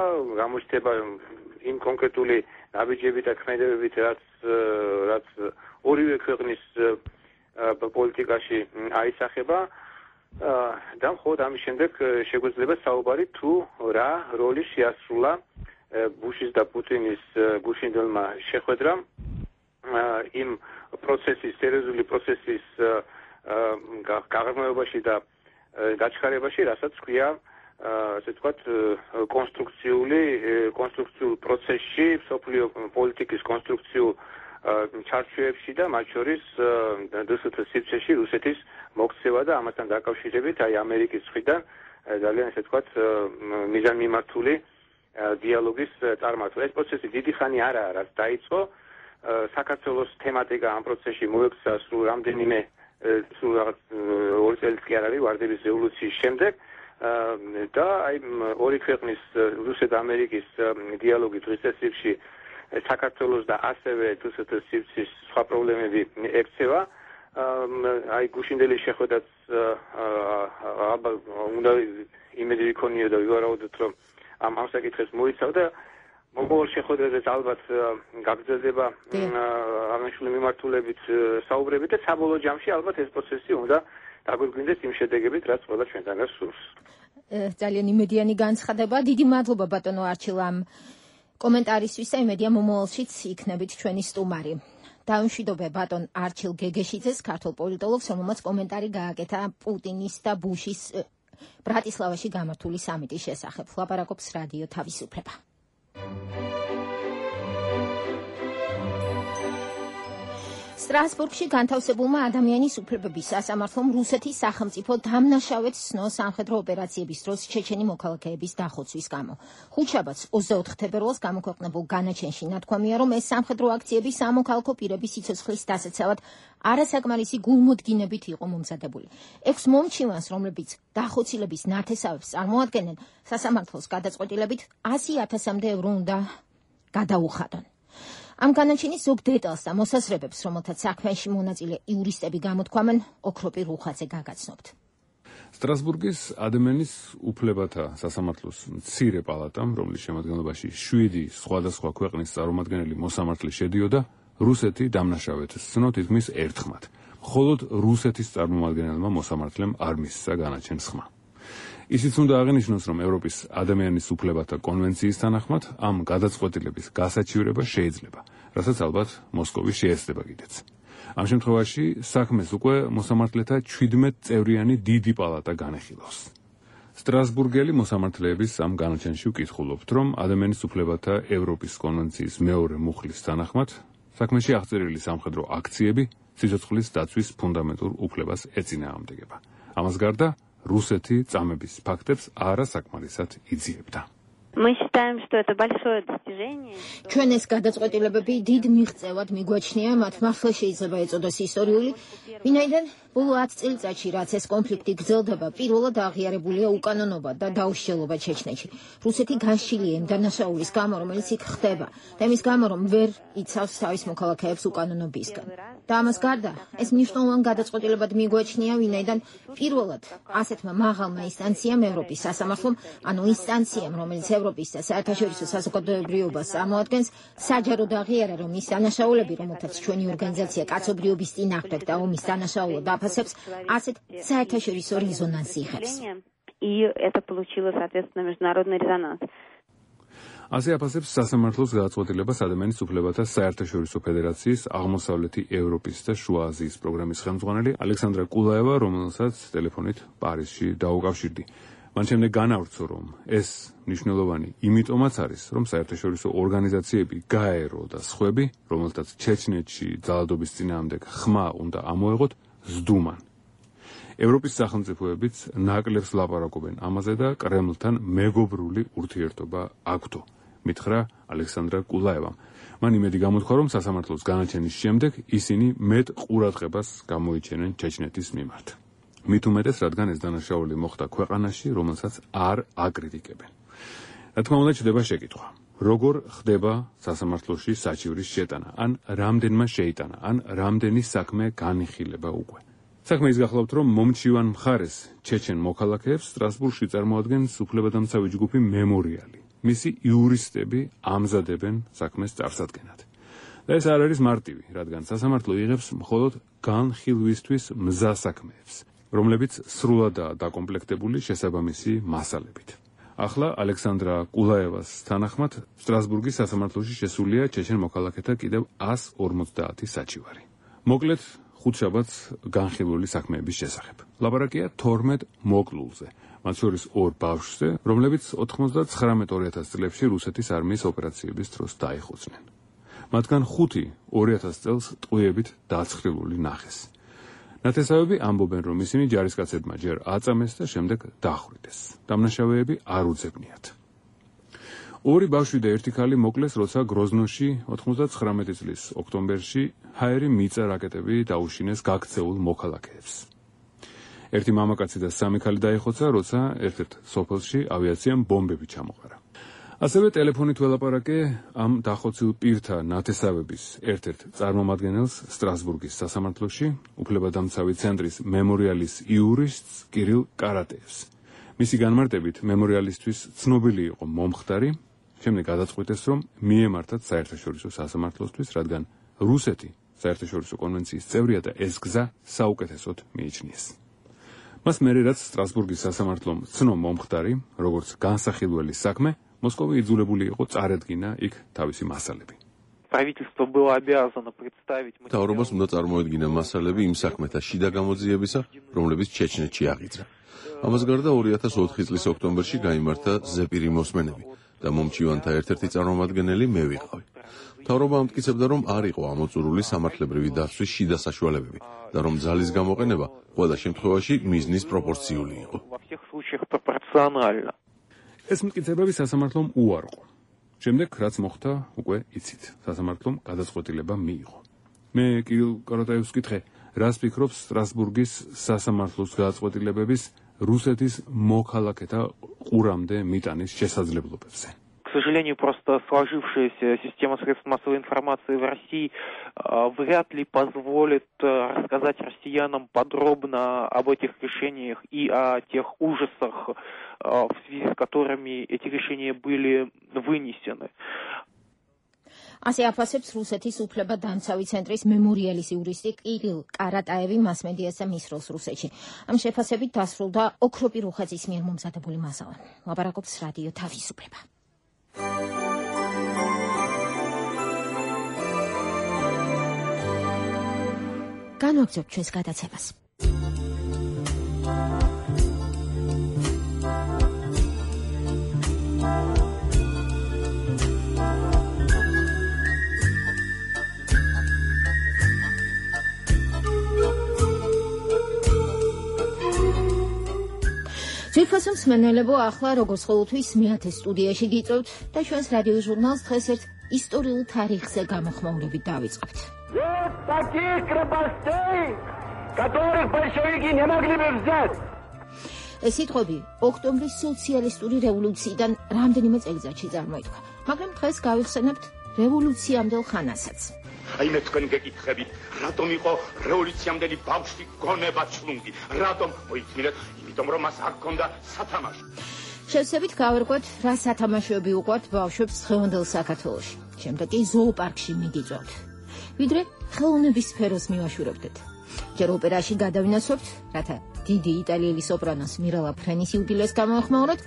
იმ კონკრეტული ნაბიჯები და ქმედებებით, რაც ორივე ქვეყნის პოლიტიკაში აისახება და მხოლოდ ამის შემდეგ შეგვეძლება საუბარი თუ რა როლი შეასრულა ბუშის და პუტინის გუშინდელმა შეხვედრამ იმ პროცესის, სერიოზული პროცესის გაღრმავებაში და გაჩქარებაში, რასაც ქვია ასე ვთქვათ, კონსტრუქციულ პროცესში, სოფლიო პოლიტიკის კონსტრუქციულ ჩარჩოებში და მათ შორის დსთ სივრცეში რუსეთის მოქცევა და ამასთან დაკავშირებით აი ამერიკის მხრიდან ძალიან ასე ვთქვათ მიზანმიმართული დიალოგის წარმართვა. ეს პროცესი დიდი ხანი არაა, რაც დაიწყო. საქართველოს თემატიკა ამ პროცესში მოექცა სულ რამდენიმე სულ რაღაც 2 წელს კი არ არის ვარდების რევოლუციის შემდეგ და აი ორი ქვეყნის რუსეთ და ამერიკის დიალოგი დღესდღეობით საქართველოს და ასევე თუსეთ სივრცის სხვა პრობლემები ექცევა. აი გუშინდელი შეხვედრაც ალბათ უნდა იმედი ვიქონიო და ვივარაუდოთ რომ ამ საკითხებს მოიცავდა. მომავალ შეხვედრაზეც ალბათ გაგრძელდება აღნიშნული მიმართულებით საუბრები და საბოლოო ჯამში ალბათ ეს პროცესი უნდა დაგვირგვინდეს იმ შედეგებით, რაც ყველა ჩვენთანაც სურს. ძალიან იმედიანი განცხადება. დიდი მადლობა ბატონო არჩილ ამ კომენტარისთვის და იმედია მომავალშიც იქნებით ჩვენი სტუმარი. დაუმშვიდობე ბატონ არჩილ გეგეშიძეს, ქართულ პოლიტოლოგს, რომელმაც კომენტარი გააკეთა პუტინის და ბუშის ბრატისლავაში გამართული სამიტის შესახებ. ლაპარაკობს რადიო თავისუფლება. სტრასბურგში განთავსებულმა ადამიანის უფლებების სასამართლომ რუსეთის სახელმწიფო დამნაშავედ ცნო სამხედრო ოპერაციების დროს ჩეჩენი მოქალაქეების დახოცვის გამო. ხუთშაბათს 24 თებერვალს გამოქვეყნებულ განაჩენში ნათქვამია, რომ ეს სამხედრო აქციები სამოქალაქო პირების სიცოცხლის დასაცავად არასაკმარისი გულმოდგინებით იყო მომზადებული. 6 მომჩივანს, რომლებიც დახოცილების ნათესავებს წარმოადგენენ, სასამართლოს გადაწყვეტილებით 100,000-მდე ევრო უნდა გადაუხადონ. ამ განაჩენის ზოგ დეტალს და მოსაზრებებს, რომელთაც საქმეში მონაწილე იურისტები გამოთქვამენ, ოქროპი რუხაძე გაგაცნობთ. სტრასბურგის ადამიანის უფლებათა სასამართლოს მცირე პალატამ, რომლის შემადგენლობაში 7 სხვადასხვა ქვეყნის წარმომადგენელი მოსამართლე შედიოდა, რუსეთი დამნაშავედ ცნო თითქმის ერთხმად. მხოლოდ რუსეთის წარმომადგენელმა მოსამართლემ არ მისცა განაჩენს ხმა. ისიც უნდა აღინიშნოს, რომ ევროპის ადამიანის უფლებათა კონვენციის თანახმად ამ გადაწყვეტილების გასაჩივრება შეიძლება, რასაც ალბათ მოსკოვი შეეცდება კიდეც. ამ შემთხვევაში საქმეს უკვე მოსამართლეთა 17 წევრიანი დიდი პალატა განეხილავს. სტრასბურგელი მოსამართლეების ამ განაჩენში ვკითხულობთ, რომ ადამიანის უფლებათა ევროპის კონვენციის მეორე მუხლის თანახმად საქმეში აღწერილი სამხედრო აქციები სიცოცხლის დაცვის ფუნდამენტურ უფლებას ეწინააღმდეგება. ამას გარდა რუსეთი წამების ფაქტებს არასაკმარისად იძიებდა. Мы считаем, что это большое достижение. ჩვენ ეს გადაწყვეტილებები დიდ მიღწევად მიგვაჩნია, მათ მართლა შეიძლება ეწოდოს ისტორიული, ვინაიდან ბოლო 10 წელიწადში, რაც ეს კონფლიქტი გრძელდება, პირველად აღიარებულია უკანონობა და დაუსჯელობა ჩეჩნეთში. რუსეთი განშილია იმ დანაშაულის გამო, რომელიც იქ ხდება, და იმის გამო, რომ ვერ იცავს თავის მოქალაქეებს უკანონობისგან. და ამას გარდა, ეს მნიშვნელოვან გადაწყვეტილებად მიგვაჩნია, ვინაიდან პირველად ასეთმა მაღალმა ინსტანციამ ევროპის სასამართლომ, ანუ ინსტანციამ, რომელიც ევროპის და საერთაშორისო საზოგადოებრივობას წარმოადგენს, საჯაროდ აღიარა, რომ ის დანაშაულები, რომელთაც ჩვენი ორგანიზაცია კაცობრიობის წინააღმდეგ და ომის დანაშაულად აფასებს, ასეთ საერთაშორისო რეზონანსი იღებს. И это получило, соответственно, международный резонанс. ასე აფასებს სასამართლოს გადაწყვეტილებას ადამიანის უფლებათა საერთაშორისო ფედერაციის აღმოსავლეთი ევროპის და შუა აზიის პროგრამის ხელმძღვანელი ალექსანდრა კულაევა, რომელსაც ტელეფონით პარიზში დაუკავშირდი. მან შემდეგ განავრცო, რომ ეს მნიშვნელოვანი იმიტომაც არის, რომ საერთაშორისო ორგანიზაციები გაერო და სხვები, რომელთაც ჩეჩნეთში ძალადობის წინააღმდეგ ხმა უნდა ამოეღოთ, ზდუმან. ევროპის სახელმწიფოებიც ნაკლებს ლაპარაკობენ ამაზე და კრემლთან მეგობრული ურთიერთობა აქვთ. მითხრა ალექსანდრა კულაევამ. მან იმედი გამოთქვა, რომ სასამართლოს განაჩენის შემდეგ ისინი მეტ ყურადღებას გამოიჩენენ ჩეჩნეთის მიმართ. მით უმეტეს, რადგან ეს დანაშაული მოხდა ქვეყანაში, რომელსაც არ აკრიტიკებენ. რა თქმა უნდა, ჩდება შეკითხვა. როგორ ხდება სასამართლოში საჩივრის შეტანა, ან რამდენმა შეიტანა, ან რამდენი საქმე განიხილება უკვე. საქმე ის გახლავთ, რომ მომჩივან მხარეს ჩეჩენ მოქალაქეებს სტრასბურგში წარმოადგენს უფლებადამცავი ჯგუფი მემორიალი. მისი იურისტები ამზადებენ საქმეს წარსადგენად. და ეს არ არის მარტივი, რადგან სასამართლო იღებს მხოლოდ განხილვისთვის მზა საქმეებს, რომლებიც სრულადაა დაკომპლექტებული შესაბამისი მასალებით. ახლა ალექსანდრა კულაევას თანახმად სტრასბურგის სასამართლოში შესულია ჩეჩენ მოქალაქეთა კიდევ 150 საჩივარი. მოკლედ ხუთშაბათს განხილველი საქმეების შესახებ. ლაპარაკია 12 მოკლულზე, მათ შორის 2 ბავშვზე, რომლებიც 99-2000 წლებში რუსეთის არმიის ოპერაციების დროს დაიხოცნენ. მათგან 5 2000 წელს ტყვიებით დაცხრილული ნახეს. ნათესავები ამბობენ, რომ ისინი ჯარისკაცებმა ჯერ აწამეს და შემდეგ დახვრიტეს. დამნაშავეები არ უძებნიათ. 2 ბავშვი და 1 ქალი მოკლეს, როცა გროზნოში 99 წლის ოქტომბერში ჰაერი მიწა რაკეტები დაუშინეს გაქცეულ მოქალაქეებს. 1 მამაკაცი და 3 ქალი დაიხოცა, როცა ერთ-ერთ სოფელში ავიაციამ ბომბები ჩამოყარა. ასევე ტელეფონით ველაპარაკე ამ დახოცილ პირთა ნათესავების ერთ-ერთ წარმომადგენელს სტრასბურგის სასამართლოში, უფლებადამცავი ცენტრის მემორიალის იურისტს კირილ კარატეევს. მისი განმარტებით, მემორიალისთვის ცნობილი იყო მომხდარი, შემდეგ გადაწყვიტეს, რომ მიემართათ საერთაშორისო სასამართლოსთვის, რადგან რუსეთი საერთაშორისო კონვენციის წევრია და ეს გზა საუკეთესოდ მიიჩნიეს. მას მერე რაც სტრასბურგის სასამართლომ ცნო მომხდარი, როგორც განსახილველი საქმე, მოსკოვი იძულებული იყო წარედგინა იქ თავისი მასალები. Правительство было обязано представить მთავრობას უნდა წარმოედგინა მასალები იმ საქმეთა შიდა გამოძიებისა, რომლებიც ჩეჩნეთში აღიძრა. ამას გარდა 2004 წლის ოქტომბერში გაიმართა ზეპირი მოსმენები და მომჩივანთა ერთ-ერთი წარმომადგენელი მე ვიყავი. მთავრობა ამტკიცებდა, რომ არ იყო ამოწურული სამართლებრივი დაცვის შიდა საშუალებები და რომ ძალის გამოყენება ყველა შემთხვევაში მიზნის პროპორციული იყო. ეს მტკიცებები სასამართლომ უარყო. შემდეგ რაც მოხდა, უკვე იცით, სასამართლომ გადაწყვეტილება მიიღო. მე კირილ კარატაევს ვკითხე, რას ფიქრობს სტრასბურგის სასამართლოს გადაწყვეტილებების რუსეთის მოქალაქეთა ყურამდე მიტანის შესაძლებლობებზე. К сожалению, просто сложившаяся система средств массовой информации в России вряд ли позволит рассказать россиянам подробно об этих решениях и о тех ужасах, в связи с которыми эти решения были вынесены. ასე აფასებს რუსეთის უფლებადამცავი ცენტრის მემორიალის იურისტი კირილ კარატაევი მასმედიასა მის როლს რუსეთში. ამ შეფასებით დასრულდა ოქროპი რუხაძის მიერ მომზადებული მასალა. ლაპარაკობს რადიო თავისუფლება. განვაგრძობთ ჩვენს გადაცემას. ძვირფასო მსმენელებო, ახლა როგორც ყოველთვის მეათე სტუდიაში გიწევთ და ჩვენს რადიო ჟურნალს დღეს ერთ ისტორიულ თარიღზე გამოხმაურებით დავიწყებთ. Таких крепостей, которых большевики не могли бы взять. ეს სიტყვები ოქტომბრის სოციალისტური რევოლუციიდან რამდენიმე წელიწადში წარმოიდგა, მაგრამ დღეს გავიხსენებთ რევოლუციამდელ ხანასაც. Აიმე თქვენ გეკითხებით, რატომ იყო რევოლუციამდელი ბავშვი გონება ჩლუნგი? რატომ მოიწმინეთ? იმიტომ რომ მას არ ჰქონდა სათამაშო. შევსებით გავერკვეთ, რა სათამაშოები უყვართ ბავშვებს დღევანდელ საქართველოში. შემდეგ კი ზოოპარკში მიგიწევთ. ვიდრე ხელოვნების სფეროს მივაშურებდეთ. ჯერ ოპერაში გადავინაცვლებთ, რათა დიდი იტალიელი სოპრანოს მირალა ფრენის იუბილეს გამოეხმაუროთ,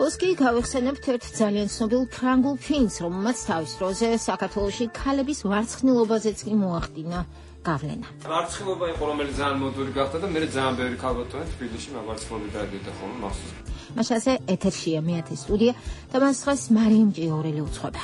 ოსკი გავიხსენებთ ერთ ძალიან ცნობილ ფრანგულ ფილმს, რომელმაც თავის დროზე საქართველოში ქალების ვარცხნილობაზეც კი მოახდინა გავლენა. ვარცხნილობა იყო, რომელიც ძალიან მოდური გახდა და მე ძალიან ბევრი ქალბატონი თბილისში მაგარცხნილობით დაიდოდა ხოლმე მახსოვს. მაშასე ეთერშია მეათე სტუდია და მას ხას მარიამ ჭიაურელი უძღვება.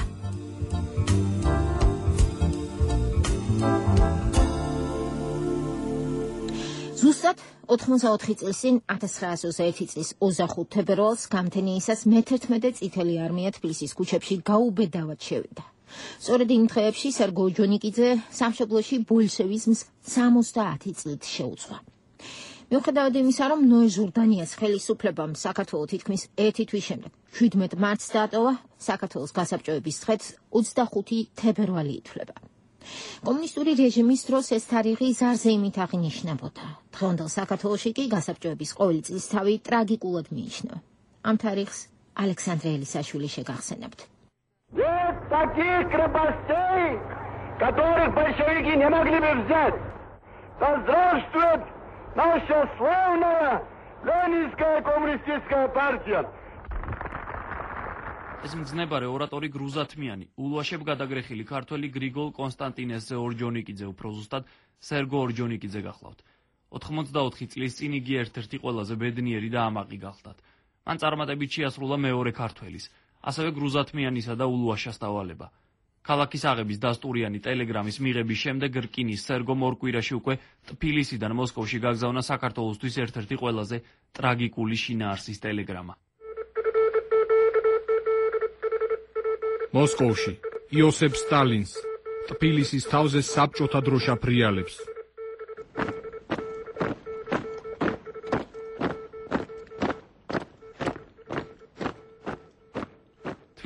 ზუსტად 84 წლის წინ 1921 წლის 25 თებერვალს გამთენიისას მე-11 წითელი არმია თბილისის ქუჩებში გაუბედავად შევიდა. სწორედ იმ დღეებში სერგო ჯონიკიძე სამშობლოში ბოლშევიზმს 70 წლით შეუძღვა. მიუხედავად იმისა, რომ ნოე ჟურდანიას ხელისუფლებამ საქართველოს თითქმის 1 თვის შემდეგ 17 მარტს დატოვა, საქართველოს გასაბჭოების დღეც 25 თებერვალი ითვლება. კომუნისტური რეჟიმის დროს ეს თარიღი ზარზე იმით აღინიშნებოდა. დღევანდელ საქართველოში კი გასაბჭოების ყოველი წლისთავი ტრაგიკულად მიიჩნევა. ამ თარიღს ალექსანდრე ელისაშვილი შეგახსენებთ. Нет таких крепостей, которых большевики не могли бы взять. Да здравствует наша славная Ленинская коммунистическая партия. ეს მძნებარე ორატორი გრუზათმიანი, ულვაშებ გადაგრეხილი ქართველი გრიგოლ კონსტანტინესზე ორჯონიკიძე, უფრო ზუსტად სერგო ორჯონიკიძე გახლავთ. 84 წლის წინ იგი ერთ-ერთი ყველაზე ბედნიერი და ამაყი გახლდათ. მან წარმატებით შეასრულა მეორე ქართველის, ასევე გრუზათმიანისა და ულვაშას დავალება. ქალაქის აღების დასტურიანი ტელეგრამის მიღების შემდეგ რკინის სერგომ ორ კვირაში უკვე ტფილისიდან მოსკოვში გაგზავნა საქართველოსთვის ერთ-ერთი ყველაზე ტრაგიკული შინაარსის ტელეგრამა. მოსკოვში იოსებ სტალინს ტფილისის თავზე საბჭოთა დროშა ფრიალებს.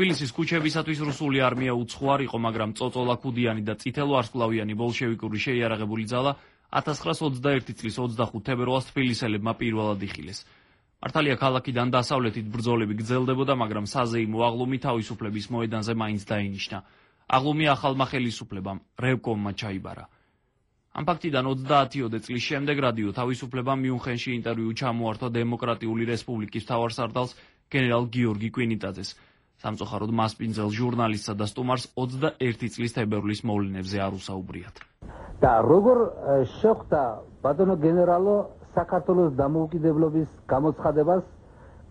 თბილისის ქუჩებისათვის რუსული არმია უცხოარ იყო, მაგრამ წოწოლა ქუდიანი და წითელვარსკვლავიანი ბოლშევიკური შეიარაღებული ძალა 1921 წლის 25 თებერვალს თბილისელებმა პირველად იხილეს. მართალია ქალაქიდან დასავლეთით ბრძოლები გრძელდებოდა, მაგრამ საზეიმო აღლუმი თავისუფლების მოედანზე მაინც დაინიშნა. აღლუმი ახალმა ხელისუფლებამ, რევკომმა ჩაიბარა. ამ ფაქტიდან 30-ოდე წლის შემდეგ რადიო თავისუფლებამ მიუნხენში ინტერვიუ ჩამოართვა დემოკრატიული რესპუბლიკის მთავარსარდალს გენერალ გიორგი კვინიტაძეს. სამწუხაროდ მასპინძელ ჟურნალისტსა და სტუმარს 21 წლის თებერვლის მოვლენებზე არ უსაუბრიათ. და როგორ შეხვდა ბატონო გენერალო საქართველოს დამოუკიდებლობის გამოცხადებას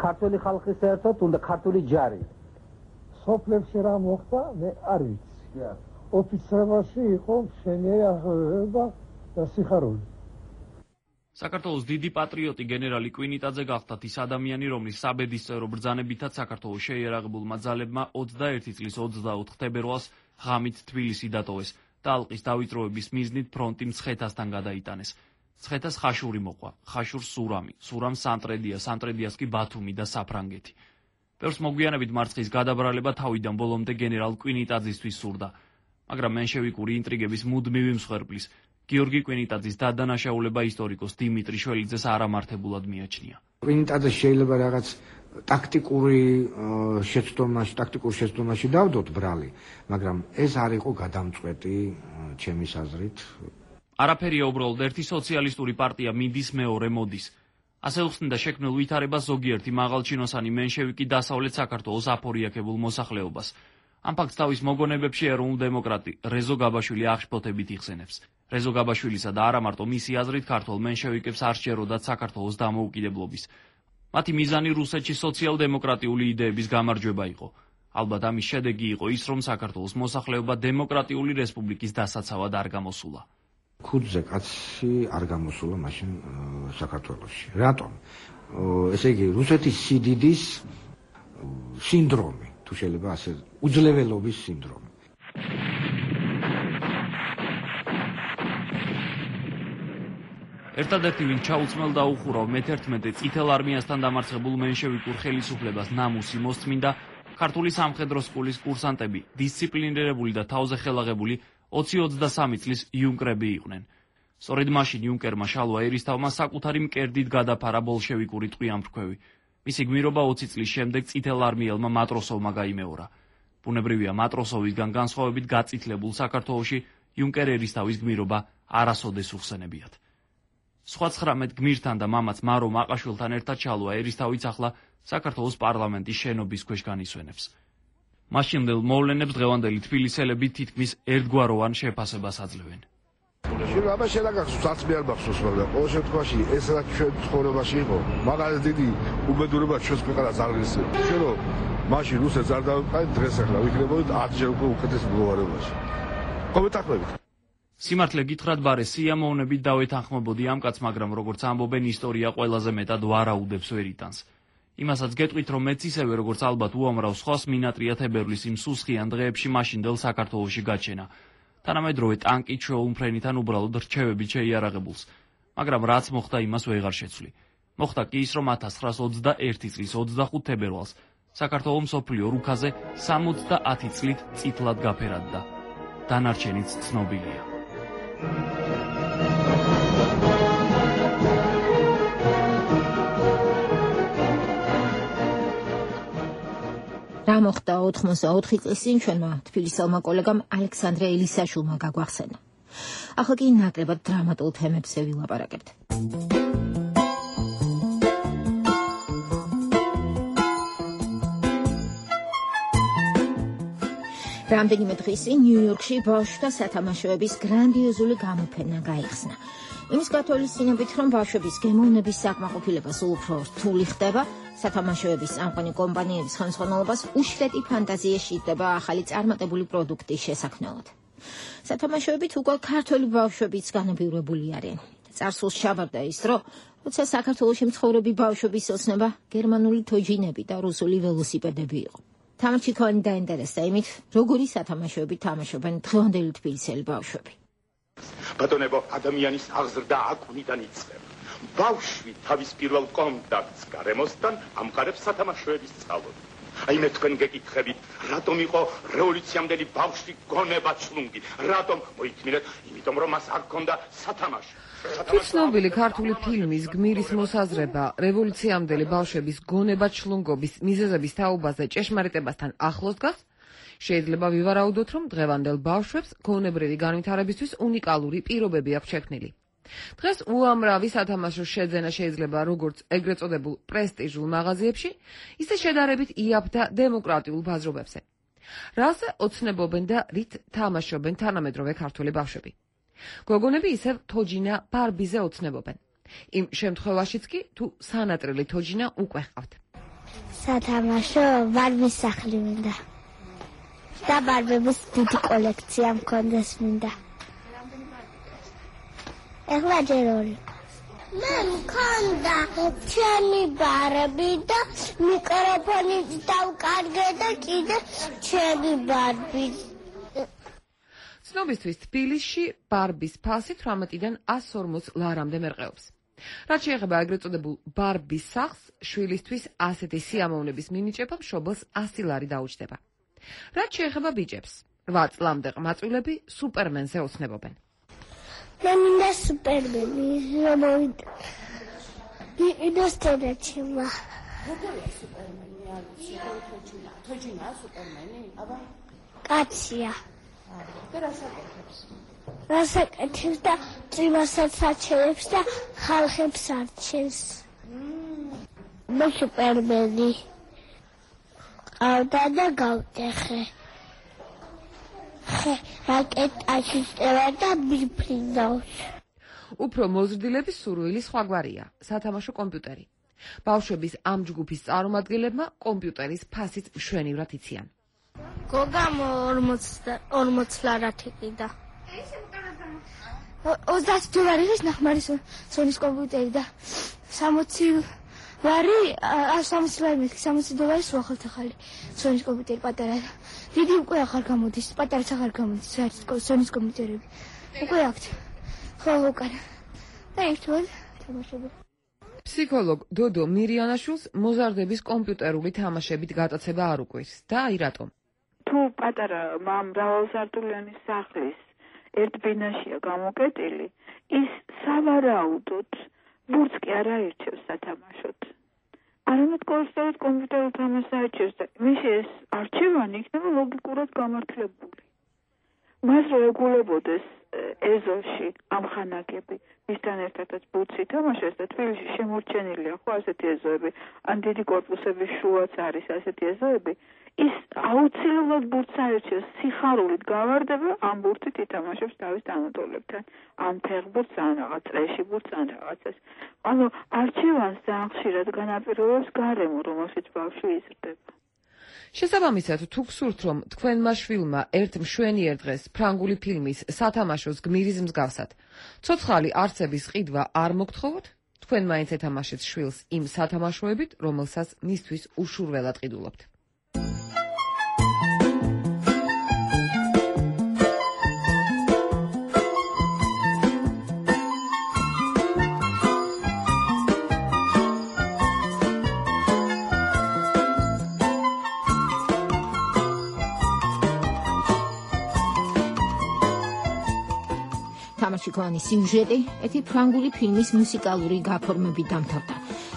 ქართული ხალხის ერთად უნდა ქართული ჯარი? სოფლებში რა მოხდა, მე არ ვიცი. ოფიცრებაში იყო მშვენიერი აღზრდა და სიხარული. საქართველოს დიდი პატრიოტი გენერალი კვინიტაძე გახდათ ის ადამიანი, რომლის საბედისწერო ბრძანებითაც საქართველოს შეიარაღებულმა ძალებმა 21 წლის 24 თებერვალს ღამით თბილისი დატოვეს და ალყის დავიწროების მიზნით ფრონტი მცხეთასთან გადაიტანეს. მცხეთას ხაშური მოყვა, ხაშურს სურამი, სურამს სანტრედია, სანტრედიას კი ბათუმი და საფრანგეთი. ბევრს მოგვიანებით მარცხის გადაბრალება თავიდან ბოლომდე გენერალ კვინიტაძისთვის სურდა, მაგრამ მენშევიკური ინტრიგების მუდმივი მსხვერპლის გიორგი კვინიტაძის დადანაშაულება ისტორიკოს დიმიტრი შველიძეს არამართებულად მიაჩნია. კვინიტაძე შეიძლება რაღაც ტაქტიკურ შეცდომაში დავდოთ ბრალი, მაგრამ ეს არ იყო გადამწყვეტი ჩემის აზრით. არაფერია უბრალოდ ერთი სოციალისტური პარტია მიდის, მეორე მოდის. ასე უხსნიდა შექმნილ ვითარებას ზოგიერთი მაღალჩინოსანი მენშევიკი დასავლეთ საქართველოს აფორიაქებულ მოსახლეობას. ამ ფაქტს თავის მოგონებებში ეროვნულ დემოკრატი რეზო გაბაშვილი აღშფოთებით იხსენებს. რეზო გაბაშვილისა და არა მარტო მისი აზრით ქართულ მენშევიკებს არ სჯეროდათ საქართველოს დამოუკიდებლობის. მათი მიზანი რუსეთში სოციალ-დემოკრატიული იდეების გამარჯვება იყო. ალბათ ამის შედეგი იყო ის, რომ საქართველოს მოსახლეობა დემოკრატიული რესპუბლიკის დასაცავად არ გამოსულა. ქუდზე კაცი არ გამოსულა მაშინ საქართველოში. რატომ? ესე იგი რუსეთის სიდიდის სინდრომი, თუ შეიძლება ასე, უძლეველობის სინდრომი. ერთადერთი ვინ ჩაუწმელ და უხურავ მე-11 წითელ არმიასთან დამარცხებულ მენშევიკურ ხელისუფლებას ნამუსი მოსწმინდა ქართული სამხედრო სკოლის კურსანტები, დისციპლინირებული და თავზე ხელაღებული 20-23 წლის იუნკრები იყვნენ. სწორედ მაშინ იუნკერმა შალვა ერისთავმა საკუთარი მკერდით გადაფარა ბოლშევიკური ტყვიამფრქვევი. მისი გმირობა 20 წლის შემდეგ წითელ არმიელმა მატროსოვმა გაიმეორა. ბუნებრივია მატროსოვისგან განსხვავებით გაწითლებულ საქართველოში იუნკერ ერისთავის გმირობა არასოდეს უხსენებიათ. სხვა 19 გმირთან და მამაც მარო მაყაშვილთან ერთად შალვა ერისთავიც ახლა საქართველოს პარლამენტის შენობის ქვეშ განისვენებს. მაშინდელ მოვლენებს დღევანდელი თბილისელები თითქმის ერთგვაროვან შეფასებას აძლევენ. შეიძლება აბა შეგახსოვს, არც მე არ მახსოვს, მაგრამ ყოველ შემთხვევაში ეს რაც ჩვენ ცხოვრებაში იყო, მაგალითად დიდი უბედურება ჩვენს ქვეყანას არ ღირსება. ჩვენ რომ მაშინ რუსეთს არ დავიყავით, დღეს ახლა ვიქნებოდით 10 ჯერ უფრო უკეთეს მდგომარეობაში. კომენტარებით. სიმართლე გითხრათ, ბარე სიამოვნებით დავეთანხმებოდი ამ კაცს, მაგრამ როგორც ამბობენ, ისტორია ყველაზე მეტად ვარაუდებს ვერ იტანს. იმასაც გეტყვით, რომ მეც ისევე როგორც ალბათ უამრავ სხვას მინატრია თებერვლის იმ სუსხიან დღეებში მაშინდელ საქართველოში გაჩენა. თანამედროვე ტანკით შეულმფრენიდან უბრალოდ რჩევებით შეიარაღებულს, მაგრამ რაც მოხდა იმას ვეღარ შეცვლი. მოხდა კი ის, რომ 1921 წლის 25 თებერვალს საქართველოს მსოფლიო რუქაზე 70 წლით წითლად გაფერადდა. დანარჩენიც ცნობილია. რა მოხდა 84 წლის წინ ჩვენმა თბილისელმა კოლეგამ ალექსანდრე ელისაშვილმა გაგვახსენა. ახლა კი ნაკლებად დრამატულ თემებზე ვილაპარაკებთ. რამდენიმე დღის წინ ნიუ-იორკში ბავშვთა სათამაშოების გრანდიოზული გამოფენა გაიხსნა. იმის გათვალისწინებით, რომ ბავშვების გემოვნების საკმაყოფილება სულ უფრო რთული ხდება, სათამაშოების წამყვანი კომპანიების ხელმძღვანელობას უშლეტი ფანტაზია სჭირდება ახალი წარმატებული პროდუქტის შესაქმნელად. სათამაშოებით უკვე ქართველი ბავშვებიც განებივრებული არიან. წარსულს ჩაბარდა ის დრო, როცა საქართველოში მცხოვრები ბავშვების ოცნება გერმანული თოჯინები და რუსული ველოსიპედები იყო. თამაში ქონი დაინტერესდა იმით, როგორი სათამაშოები თამაშობენ დღევანდელი თბილისელი ბავშვები. ბატონებო, ადამიანის აღზრდა აკუნიდან იწყება. ბავშვი თავის პირველ კონტაქტს გარემოსთან ამყარებს სათამაშოების სწავლობას. აი მე თქვენ გეკითხებით, რატომ იყო რევოლუციამდელი ბავშვი გონება ჩლუნგი? რატომ მოითმინეთ? იმიტომ რომ მას არ ჰქონდა სათამაშო. ცნობილი ქართული ფილმის გმირის მოსაზრება რევოლუციამდელი ბავშვების გონება ჩლუნგობის მიზეზების თაობაზე ჭეშმარიტებასთან ახლოს დგას. შეიძლება ვივარაუდოთ, რომ დღევანდელ ბავშვებს გონებრივი განვითარებისთვის უნიკალური პირობები აქვს შექმნილი. დღეს უამრავი სათამაშო შეძენა შეიძლება როგორც ეგრეთ წოდებულ პრესტიჟულ მაღაზიებში, ისე შედარებით იაფ და დემოკრატიულ ბაზრობებზე. რაზე ოცნებობენ და რით თამაშობენ თანამედროვე ქართული ბავშვები? გოგონები ისევ თოჯინა ბარბიზე ოცნებობენ. იმ შემთხვევაშიც კი თუ სანატრელი თოჯინა უკვე ჰყავთ. სათამაშო ბარბის სახლი მინდა. და ბარბების დიდი კოლექცია მქონდეს მინდა. ეხლა ჯერ ორი. მე მქონდა ჩემი ბარბი და მიკროფონი დავკარგე და კიდე ჩემი ბარბი. ცნობისთვის თბილისში ბარბის ფასი 18-დან 140 ლარამდე მერყეობს. რაც შეეხება ეგრეთ წოდებულ ბარბის სახლს, შვილისთვის ასეთი სიამოვნების მინიჭება მშობელს 100 ლარი დაუჯდება. რაც შეეხება ბიჭებს, 8 წლამდე ყმაწვილები სუპერმენზე ოცნებობენ. მე მინდა სუპერმენი, რომოვიდა. ინოსტონეჩიმა. როგორია სუპერმენი? თოჯინა სუპერმენი? აბა. კაცია. და რასაკეთებს? რასაკეთებს და წვიმასაც აჩენებს და ხალხებს არჩევს. მე სუპერმენი. ავდა და გავტეხე. რაკეტაში წევა და მიფრინავს. უფრო მოზრდილების სურვილი სხვაგვარია, სათამაშო კომპიუტერი. ბავშვების ამ ჯგუფის წარმომადგენლებმა კომპიუტერის ფასიც მშვენივრად იციან. გოგამ 40 ლარად იყიდა. 30 დოლარის ნახმარის სონის კომპიუტერი და 60 ლარი 60 ლარი მეთქი 60 დოლარის უახლოთი ახალი სონის კომპიუტერი პატარა. დიდი უკვე აღარ გამოდის, პატარაც აღარ გამოდის სონის კომპიუტერები. უკვე აქვთ. ხო უკან. და ერთად თამაშობ. ფსიქოლოგ დოდო მირიანაშვილს მოზარდების კომპიუტერული თამაშებით გატაცება არ უკვირს და აი რატომ. თუ პატარა მრავალსართულიანი სახლის ერთ ბინაშია გამოკეტილი, ის სავარაუდოდ ბურთს კი არ აირჩევს სათამაშოდ. არამედ კონსოლით კომპიუტერულ თამაშს აირჩევს და მისი ეს არჩევანი იქნება ლოგიკურად გამართლებული. მას რო ეგულებოდეს ეზოში ამხანაგები, მისთან ერთადაც ბურთს ითამაშეს და თბილისში შემორჩენილია ხო ასეთი ეზოები, ან დიდი კორპუსების შუაც არის ასეთი ეზოები, ის აუცილებლად ბურთს აირჩევს, სიხარულით გავარდება, ამ ბურთით ითამაშებს თავის თანატოლებთან, ან ფეხბურთს, ან რაღაც წრეში ბურთს, ან რაღაცას. ანუ არჩევანს ძალიან ხშირად განაპირობებს გარემო, რომელშიც ბავშვი იზრდება. შესაბამისად, თუ გსურთ, რომ თქვენმა შვილმა ერთ მშვენიერ დღეს ფრანგული ფილმის სათამაშოს გმირის მსგავსად ცოცხალი არცების ყიდვა არ მოგთხოვოთ, თქვენ მაინც ეთამაშეთ შვილს იმ სათამაშოებით, რომელსაც მისთვის უშურველად ყიდულობთ. თამაშიქოვანი სიუჟეტი ერთი ფრანგული ფილმის მუსიკალური გაფორმებით დამთავრდა.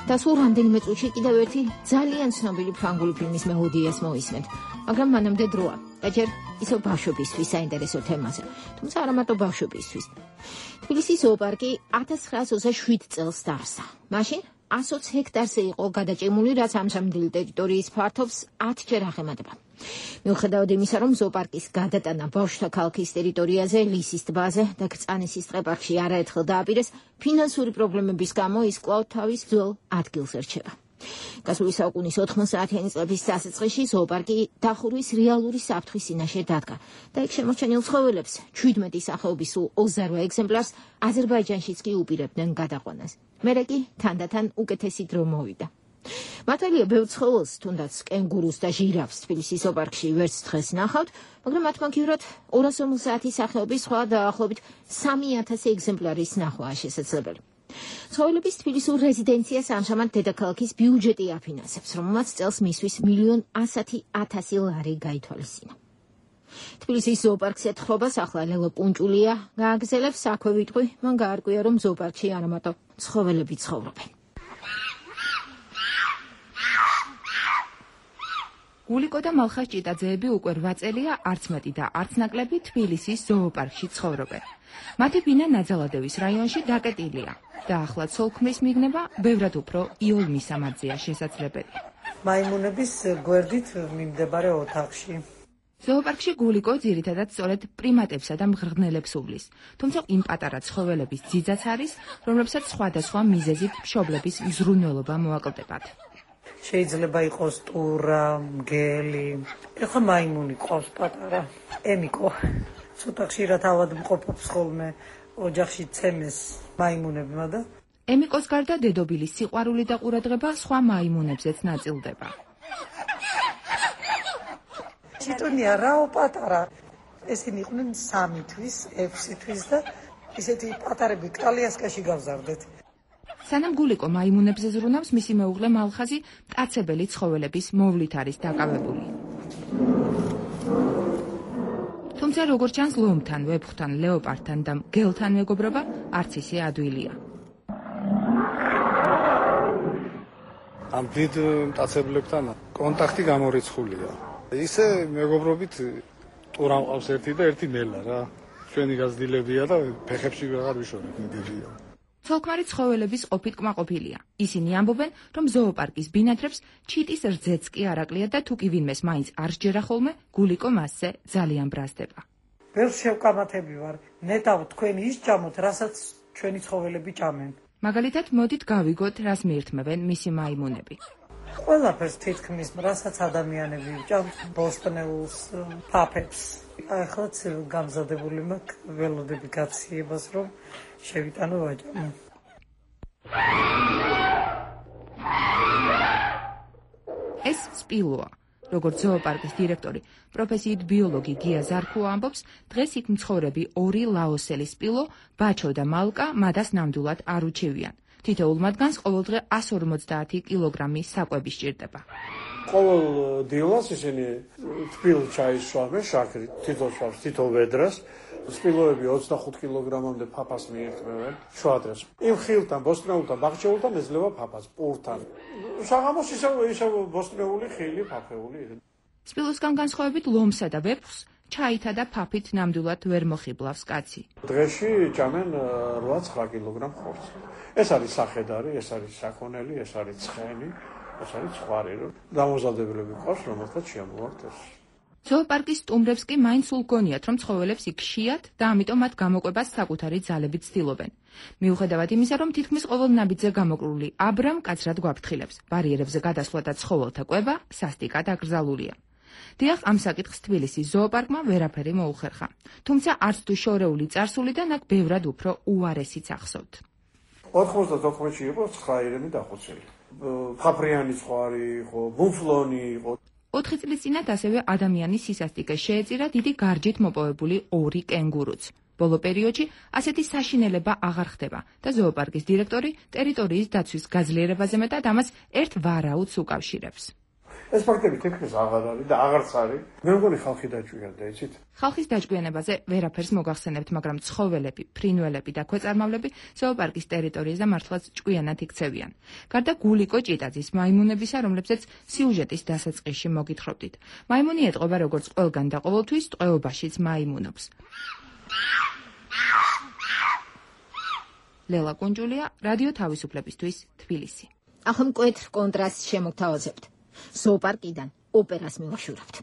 და სულ რამდენიმე წუთში კიდევ ერთი ძალიან ცნობილი ფრანგული ფილმის მელოდიას მოვისმენთ. მაგრამ მანამდე დროა. და ჯერ ისევ ბავშვებისთვის საინტერესო თემაზე. თუმცა არა მარტო ბავშვებისთვის. თბილისის ზოოპარკი 1927 წელს დაარსა. მაშინ 120 ჰექტარზე იყო გადაჭიმული, რაც ამჟამინდელი ტერიტორიის ფართობს 10 ჯერ აღემატება. მიუხედავად იმისა, რომ ზოოპარკის გადატანა ბავშვთა ქალაქის ტერიტორიაზე, ლისის ტბაზე და კრწანისის ტყეპარკში არაერთხელ დააპირეს, ფინანსური პრობლემების გამო ის კვლავ თავის ძველ ადგილს ერჩება. გასული საუკუნის 90-იანი წლების დასაწყისში ზოოპარკი დახურვის რეალური საფრთხის წინაშე დადგა და იქ შემორჩენილ ცხოველებს 17 სახეობის სულ 28 ეგზემპლარს აზერბაიჯანშიც კი უპირებდნენ გადაყვანას. მერე კი თანდათან უკეთესი დრო მოვიდა. მართალია ბევრ ცხოველს, თუნდაც კენგურუს და ჟირაფს თბილისის ზოოპარკში ვერც დღეს ნახავთ, მაგრამ მათ მაგივრად 250 სახეობის სხვა დაახლოებით 3000 ეგზემპლარის ნახვაა შესაძლებელი. ცხოველების თბილისურ რეზიდენციას ამჟამად დედაქალაქის ბიუჯეტი აფინანსებს, რომელმაც წელს მისთვის 1,100,000 ლარი გაითვალისწინა. თბილისის ზოოპარკს ეთხრობას ახლა ლელო პუნჭულია გააგზელებს, აქვე ვიტყვი, მან გაარკვია, რომ ზოოპარკში არა მარტო ცხოველები ცხოვრობენ. გულიკო და მალხას ჭიტაძეები უკვე 8 წელია არც მეტი და არც ნაკლები თბილისის ზოოპარკში ცხოვრობენ. მათი ბინა ნაძალადევის რაიონში დაკეტილია და ახლა ცოლქმრის მიგნება ბევრად უფრო იოლ მისამაძეა შესაძლებელი. მაიმუნების გვერდით მიმდებარე ოთახში. ზოოპარკში გულიკო ძირითადად სწორედ პრიმატებსა და მღრღნელებს უვლის, თუმცა იმ პატარა ცხოველების ძიძაც არის, რომლებსაც სხვადასხვა მიზეზით მშობლების მზრუნველობა მოაკლდებათ. შეიძლება იყოს ტურა, მგელი. ეხლა მაიმუნი ყავს პატარა. ემიკო. ცოტა ხშირად ავადმყოფობს ხოლმე ოჯახში ცემეს მაიმუნებმა და ემიკოს გარდა დედობილის სიყვარული და ყურადღება სხვა მაიმუნებზეც ნაწილდება. ჩიტონია რაო პატარა. ესენი იყვნენ 3 თვის, 6 თვის და ისეთი პატარები კალიასკაში გავზარდეთ. სანამ გულიკო მაიმუნებზე ზრუნავს, მისი მეუღლე მალხაზი მტაცებელი ცხოველების მოვლით არის დაკავებული. თუმცა როგორც ჩანს, ლომთან, ვეფხვთან, ლეოპარდთან და მგელთან მეგობრობა არც ისე ადვილია. ამ დიდ მტაცებლებთან კონტაქტი გამორიცხულია. ისე მეგობრობით ტურა მყავს ერთი და ერთი ნელა რა. ჩვენი გაზრდილებია და ფეხებში ვეღარ ვიშორებ მიგებია. ცოლქმარი ცხოველების ყოფით კმაყოფილია. ისინი ამბობენ, რომ ზოოპარკის ბინადრებს ჩიტის რძეც კი არ აკლია და თუ კი ვინმეს მაინც არ სჯერა ხოლმე, გულიკო მასზე ძალიან ბრაზდება. ვერ შევკამათები ვარ. ნეტავ თქვენი ის ჭამოთ, რასაც ჩვენი ცხოველები ჭამენ. მაგალითად, მოდით გავიგოთ, რას მიირთმევენ მისი მაიმუნები. ყველაფერს თითქმის, რასაც ადამიანები ჭამთ, ბოსტნეულს, ფაფებს. ახლა გამზადებული მაქვს ველოდები გაციებას, რომ შევიტანო ვაჭამო. ეს სპილოა. როგორც ზოოპარკის დირექტორი, პროფესიით ბიოლოგი გია ზარქუა ამბობს, დღეს იქ მცხოვრები 2 ლაოსელი სპილო, ბაჩო და მალკა მადას ნამდვილად არ უჩივიან. თითოეულ მათგანს ყოველდღე 150 კილოგრამი საკვები სჭირდება. ყოველ დილას ისინი თბილ ჩაის შავენ შაქრით, თითო ვედრას, სპილოები 25 კილოგრამამდე ფაფას მიირთმევენ შუადღეს. იმ ხილთან, ბოსტნეულთან, ბაღჩეულთან ეძლევა ფაფას, პურთან. საღამოს ისევ ბოსტნეული ხილი, ფაფეული. სპილოსგან განსხვავებით ლომსა და ვეფხვს ჩაითა და ფაფით ნამდვილად ვერ მოხიბლავს კაცი. დღეში ჭამენ 8-9 კილოგრამ ხორცს. ეს არის სახედარი, ეს არის საქონელი, ეს არის ცხენი, ეს არის ხვარი, რომ დამოზადებლები ყავს, რომელთაც შემოვართ ეს. ზოოპარკის სტუმრებს კი მაინც სულ გონიათ, რომ ცხოველებს იქ შეიათ და ამიტომ მათ გამოყვებას საკუთარი ძალებით ცდილობენ. მიუხედავად იმისა, რომ თითქმის ყოველ ნაბიჯზე გამოკრული აბრამ კაცრად გვაფრთხილებს. ბარიერებზე გადასვლა და ცხოველთა კვება სასტიკად აკრძალულია. დიახ, ამ საკითხს თბილისის ზოოპარკმა ვერაფერი მოუხერხა. თუმცა არც თუ შორეული წარსულიდან აქ ბევრად უფრო უარესიც ახსოვთ. 99-ში იყო 9 ირემი დახოცილი. ფაფრიანი ხვარი იყო, ბუფლონი იყო. 4 წლის წინათ ასევე ადამიანის სისასტიკეს შეეწირა დიდი გარჯით მოპოვებული 2 კენგურუც. ბოლო პერიოდში ასეთი საშინელება აღარ ხდება და ზოოპარკის დირექტორი ტერიტორიის დაცვის გაძლიერებაზე მეტად ამას ერთ ვარაუდს უკავშირებს. ეს ფაქტები თითქმის აღარ არის და აღარც არის. მე მგონი ხალხი დაჭვიანდა, იცით? ხალხის დაჭკვიანებაზე ვერაფერს მოგახსენებთ, მაგრამ ცხოველები, ფრინველები და ქვეწარმავლები ზოოპარკის ტერიტორიაზე მართლაც ჭკვიანად იქცევიან. გარდა გულიკო ჭიტაძის მაიმუნებისა, რომლებზეც სიუჟეტის დასაწყისში მოგითხრობდით. მაიმუნი ეტყობა როგორც ყველგან და ყოველთვის ტყვეობაშიც მაიმუნობს. ლელა კუნჯულია, რადიო თავისუფლებისთვის, თბილისი. ახლა მკვეთრ კონტრასტს შემოგთავაზებთ. ზოოპარკიდან ოპერას მივაშურავთ.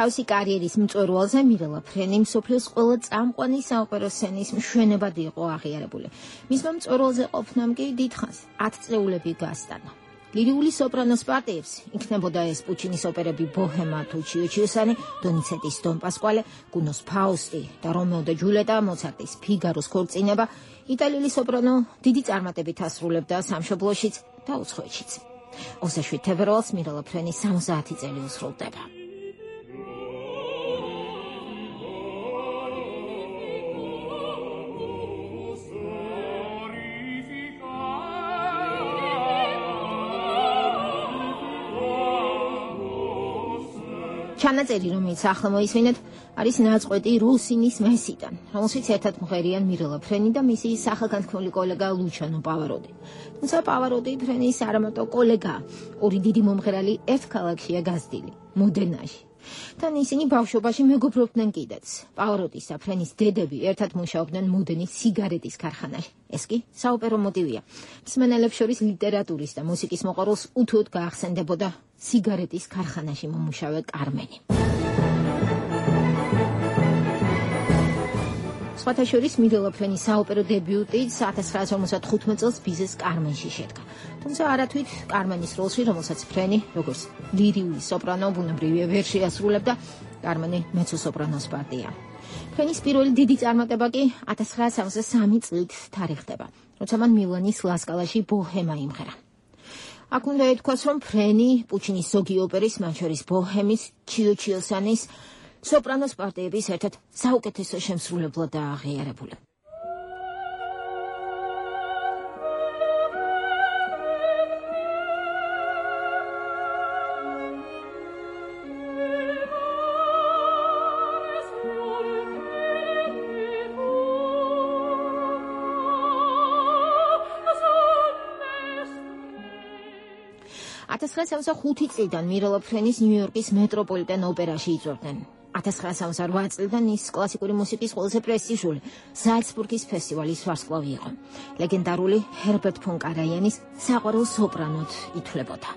თავისი კარიერის მწვერვალზე მირელა ფრენი მსოფლიოს ყველა წამყვანი საოპერო სცენის მშვენებად იყო აღიარებული. მისმა მწვერვალზე ყოფნამ კი დიდხანს 10 წლეულები გასტანა. ლირიული სოპრანოს პარტიებს იქნებოდა ეს პუჩინის ოპერები ბოჰემა თუ ჩიოჩიოსანი, დონიცეტის დონ პასკვალე, გუნოს ფაუსტი და რომეო და ჯულიეტა, მოცარტის ფიგაროს ქორწინება, იტალიური სოპრანო დიდი წარმატებით ასრულებდა სამშობლოშიც და უცხოეთშიც. 27 თებერვალს მირელა ფრენი 70 წელი უსრულდება. ჩანაწერი, რომელიც ახლა მოისმინეთ, არის ნაწყვეტი რუსინის მესიდან, რომელშიც ერთად მღერიან მირელა ფრენი და მისი სახელგანთქმული კოლეგა ლუჩანო პავაროდი. თუმცა პავაროდი ფრენის არამარტო კოლეგა, ორი დიდი მომღერალი ერთ ქალაქშია გაზრდილი, მოდენაში. თან ისინი ბავშვობაში მეგობრობდნენ კიდეც. პავაროდის და ფრენის დედები ერთად მუშაობდნენ მოდენის სიგარეტის ქარხანაში. ეს კი საოპერო მოტივია. მსმენელებს შორის ლიტერატურის და მუსიკის მოყვარულს უთუოდ გაახსენდებოდა სიგარეტის ქარხანაში მომუშავე კარმენი. სხვათა შორის მირელა ფრენის საოპერო დებიუტი 1955 წელს ბიზეს კარმენში შედგა. თუმცა არათვით კარმენის როლში, რომელსაც ფრენი, როგორც ლირიული სოპრანო, ბუნებრივია ვერ შეასრულებდა, კარმენი მეცო-სოპრანოს პარტია. ფრენის პირველი დიდი წარმატება კი 1963 წლით თარიღდება, როცა მან მილანის ლასკალაში ბოჰემა იმღერა. აქ უნდა ითქვას, რომ ფრენი პუჩინის ზოგი ოპერის, მათ შორის ბოჰემის, ჩიოჩიოსანის, სოპრანოს პარტიების ერთად საუკეთესო შემსრულებლად დააღიარებული. წლიდან მირელა ფრენის ნიუ-იორკის მეტროპოლიტენ ოპერაში იწვევდნენ. 1968 წლიდან ის კლასიკური მუსიკის ყველაზე პრესტიჟული ზალცბურგის ფესტივალის ვარსკვლავი იყო. ლეგენდარული ჰერბერტ ფონ კარაიანის საყვარელ სოპრანოდ ითვლებოდა.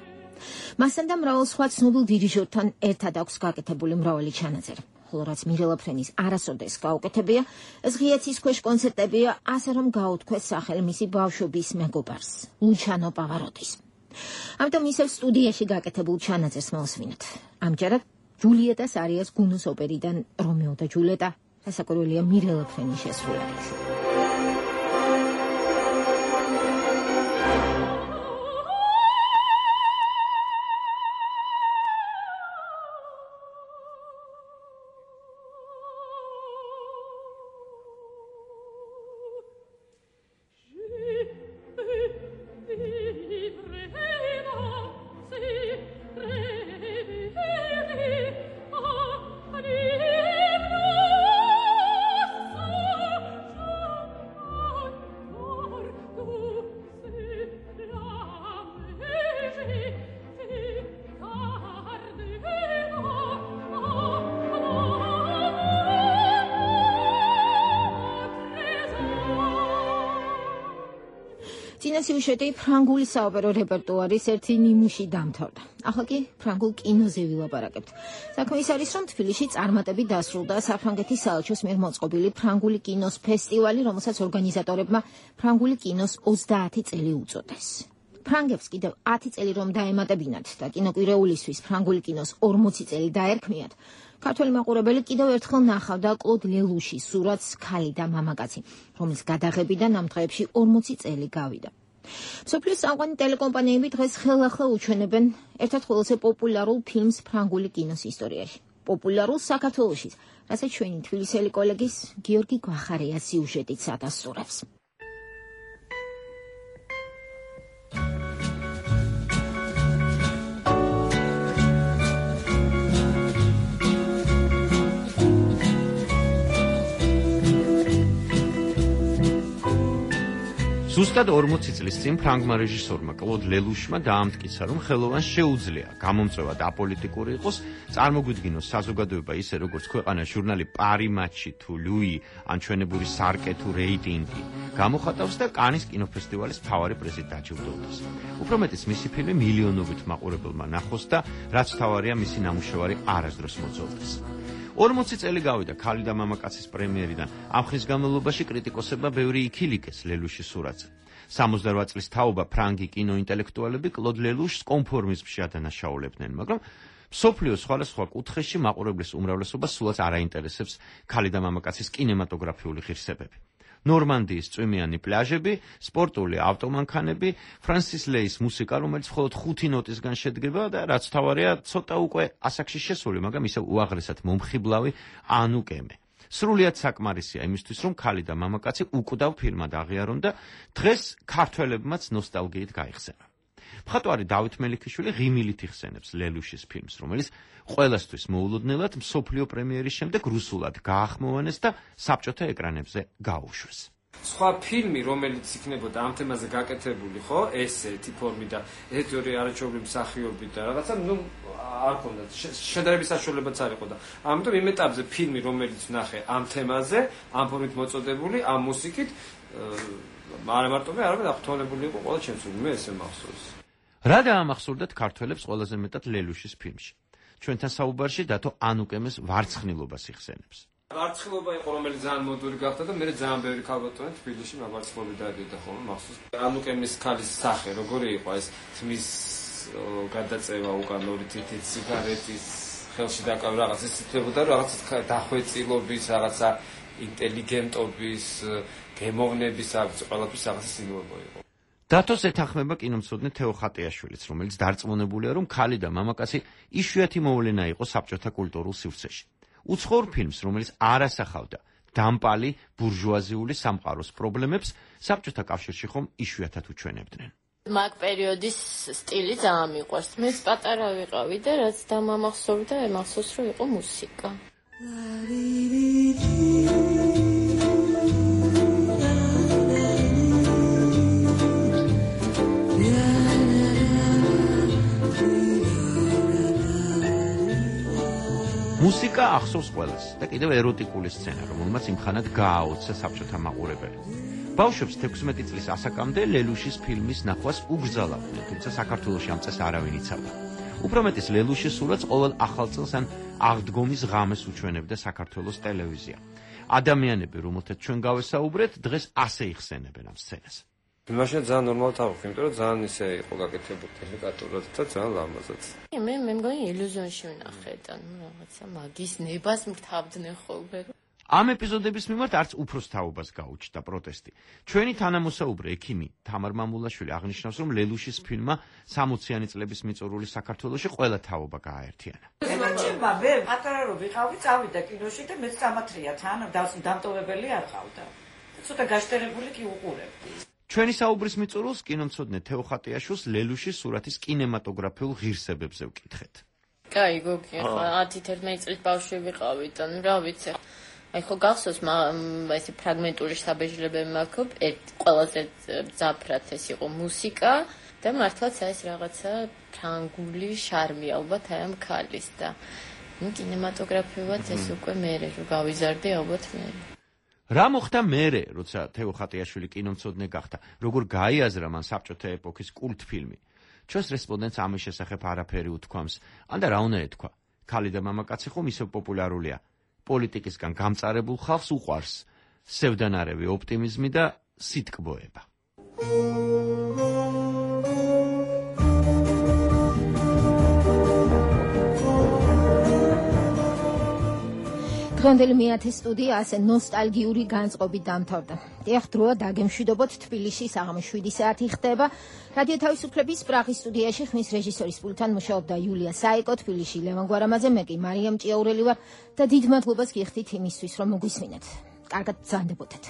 მასთან და მრავალ სხვა ცნობილ დირიჟორთან ერთად აქვს გაკეთებული მრავალი ჩანაწერი. ხოლო რაც მირელა ფრენის არასოდეს გაუკეთებია, ეს ღიაცის ქვეშ კონცერტებია, ასე რომ გაუთქვეს სახელი მისი ბავშვობის მეგობარს, ლუჩანო პავაროდის. ამიტომ ისევ სტუდიაში გაკეთებულ ჩანაწერს მოვსმინოთ. ამჯერად ჯულიეტას არიას გუნოს ოპერიდან რომეო და ჯულიეტა, სასაკვირველია მირელა ფრენის შესრულებით. წინა სიუჟეტი ფრანგული საოპერო რეპერტუარის ერთი ნიმუში დამთავრდა. ახლა კი ფრანგულ კინოზე ვილაპარაკებთ. საქმე ის არის, რომ თბილისში წარმატებით დასრულდა საფრანგეთის საელჩოს მიერ მოწყობილი ფრანგული კინოს ფესტივალი, რომელსაც ორგანიზატორებმა ფრანგული კინოს 30 წელი უწოდეს. ფრანგებს კიდევ 10 წელი რომ დაემატებინათ და კინოკვირეულისთვის ფრანგული კინოს 40 წელი დაერქმიათ, ქართველი მაყურებელი კიდევ ერთხელ ნახავდა კლოდ ლელუშის სურათს „ქალი და მამაკაცი“, რომლის გადაღებიდან ამ დღეებში 40 წელი გავიდა. მსოფლიოს წამყვანი ტელეკომპანიები დღეს ხელახლა უჩვენებენ ერთ-ერთ ყველაზე პოპულარულ ფილმს ფრანგული კინოს ისტორიაში. პოპულარულ საქართველოშიც, რასაც ჩვენი თბილისელი კოლეგის გიორგი გვახარიას სიუჟეტით ადასტურებს. ზუსტად 40 წლის წინ ფრანგმა რეჟისორმა კლოდ ლელუშმა დაამტკიცა, რომ ხელოვანს შეუძლია გამომწვევა და აპოლიტიკური იყოს, წარმოგვიდგინოს საზოგადოება ისე, როგორც ქვეყანას ჟურნალი პარი მატჩი თუ ლუი ან ჩვენებური სარკე თუ რეიტინგი გამოხატავს და კანის კინოფესტივალის მთავარი პრიზით დაჯილდოვდეს. უფრო მეტიც მისი ფილმი მილიონობით მაყურებელმა ნახოს და რაც მთავარია, მისი ნამუშევარი არასდროს მოძველდეს. 40 წელი გავიდა ქალი და მამაკაცის პრემიერიდან. ამ ხნის განმავლობაში კრიტიკოსებმა ბევრი იქილიკეს ლელუშის სურათზე. 68 წლის თაობა ფრანგი კინოინტელექტუალები კლოდ ლელუშს კონფორმიზმში ადანაშაულებდნენ, მაგრამ მსოფლიოს სხვადასხვა კუთხეში მაყურებლის უმრავლესობას სულაც არ აინტერესებს ქალი და მამაკაცის კინემატოგრაფიული ღირსებები. ნორმანდიის წვიმიანი პლაჟები, სპორტული ავტომანქანები, ფრანსის ლეის მუსიკა, რომელიც მხოლოდ 5 ნოტისგან შედგება და რაც მთავარია, ცოტა უკვე ასაკში შესული, მაგრამ ისევ უაღრესად მომხიბლავი ანუკემე. სრულიად საკმარისია იმისთვის, რომ ქალი და მამაკაცი უკვდავ ფილმად აღიარონ და დღეს ქართველებმაც ნოსტალგიით გაიხსენა. მხატვარი დავით მელიქიშვილი ღიმილით იხსენებს ლელუშის ფილმს, რომელიც ყველასთვის მოულოდნელად მსოფლიო პრემიერის შემდეგ რუსულად გაახმოვანეს და საბჭოთა ეკრანებზე გაუშვეს. სხვა ფილმი, რომელიც იქნებოდა ამ თემაზე გაკეთებული, ხო, ესეთი ფორმით და ესეთი ორი არაჩვეულებრივი მსახიობი და რაღაცა, არ ქონდა შედარების საშუალებაც არ იყო და ამიტომ იმ ეტაპზე ფილმი, რომელიც ვნახე ამ თემაზე, ამ ფორმით მოწოდებული, ამ მუსიკით, არა მარტო მე, არამედ აღფრთოვანებული იყო ყველა ჩემს მე ესე მახსოვს. რა დაამახსოვრდათ ქართველებს ყველაზე მეტად ლელუშის ფილმში? ჩვენთან საუბარში დათო ანუკემეს ვარცხნილობას იხსენებს. ვარცხილობა იყო, რომელიც ძალიან მოდური გახდა და მე ძალიან ბევრი ქალბატონი თბილისში მაგარცხლობით დადიოდა ხოლმე მახსოვს. ანუკემის ქალის სახე როგორი იყო ეს თმის გადაწევა უკან ორი თითი სიგარეტის ხელში დაკავი რაღაც ისეთებოდა, რაღაცა დახვეწილობის, რაღაცა ინტელიგენტობის, გემოვნების აქვს ყველაფრის რაღაცა სიმბოლო იყო. დათოს ეთანხმება კინომცოდნე თეო ხატიაშვილიც, რომელიც დარწმუნებულია, რომ ქალი და მამაკაცი იშვიათი მოვლენა იყო საბჭოთა კულტურულ სივრცეში. უცხოურ ფილმს, რომელიც არ ასახავდა დამპალი ბურჟუაზიული სამყაროს პრობლემებს, საბჭოთა კავშირში ხომ იშვიათად უჩვენებდნენ. მაგ პერიოდის სტილი ძალიან მიყვარს. მე პატარა ვიყავი და რაც დამამახსოვრდა, მახსოვს რომ იყო მუსიკა. მუსიკა ახსოვს ყველას და კიდევ ეროტიკული სცენა, რომელმაც იმხანად გააოცა საბჭოთა მაყურებელი. ბავშვებს 16 წლის ასაკამდე ლელუშის ფილმის ნახვას უგრძალავდნენ, თუმცა საქართველოში ამ წესს არავინ იცავდა. უფრო მეტის ლელუშის სურათს ყოველ ახალ წელს ან აღდგომის ღამეს უჩვენებდა საქართველოს ტელევიზია. ადამიანები, რომელთაც ჩვენ გავესაუბრეთ, დღეს ასე იხსენებენ ამ სცენას. მაშინ ძალიან ნორმალად ავხდი, იმიტომ რომ ძალიან ისე იყო გაკეთებული ტექნიკურად და ძალიან ლამაზად. მე მგონი ილუზიონში ვნახე და რაღაცა მაგის ნებას მთავდნენ ხოლმე. ამ ეპიზოდების მიმართ არც უფროს თაობას გაუჩნდა პროტესტი. ჩვენი თანამოსაუბრე ექიმი თამარ მამულაშვილი აღნიშნავს, რომ ლელუშის ფილმმა 60-იანი წლების მიწურული საქართველოში ყველა თაობა გააერთიანა. ემაჩება, მე პატარა რო ვიყავი, წავიდა კინოში და მეც სამათრია თან დამტოვებელი არ ყავდა. ცოტა გაშტერებული კი უყურებდი. ჩვენი საუბრის მიწურულს კინომცოდნე თეო ხატიაშვილს ლელუშის სურათის კინემატოგრაფიულ ღირსებებზე ვკითხეთ. კაი, გოგი, ახლა 10-11 წლის ბავშვი ვიყავი და რა ვიცი. აი ხო გახსოვს ესე ფრაგმენტული საბეჭდილებები მაქვს, ყველაზე ძაფრად ეს იყო მუსიკა და მართლაც ეს რაღაცა ფრანგული შარმი ალბათ აი ამ ქალის და კინემატოგრაფიულად ეს უკვე მე რო გავიზარდი ალბათ მე. რა მოხდა მერე, როცა თეო ხატიაშვილი კინომცოდნე გახდა, როგორ გაიაზრა მან საბჭოთა ეპოქის კულტფილმი. ჩვენს რესპონდენტს ამის შესახებ არაფერი უთქვამს, ანდა რა უნდა ეთქვა. ქალი და მამაკაცი ხომ ისევ პოპულარულია. პოლიტიკისგან გამწარებულ ხალხს უყვარს სევდანარევი ოპტიმიზმი და სიტკბოება. დღევანდელი მეათე სტუდია ასე ნოსტალგიური განწყობით დამთავრდა. დიახ, დროა დაგემშვიდობოთ, თბილისში საღამოს 7 საათი ხდება. რადიო თავისუფლების პრაღის სტუდიაში ხმის რეჟისორის პულტთან მუშაობდა იულია საიკო, თბილისში ლევან გვარამაძე, მე კი მარიამ ჭიაურელი ვარ და დიდ მადლობას გიხდით იმისთვის, რომ მოგვისმინეთ. კარგად ბრძანდებოდეთ.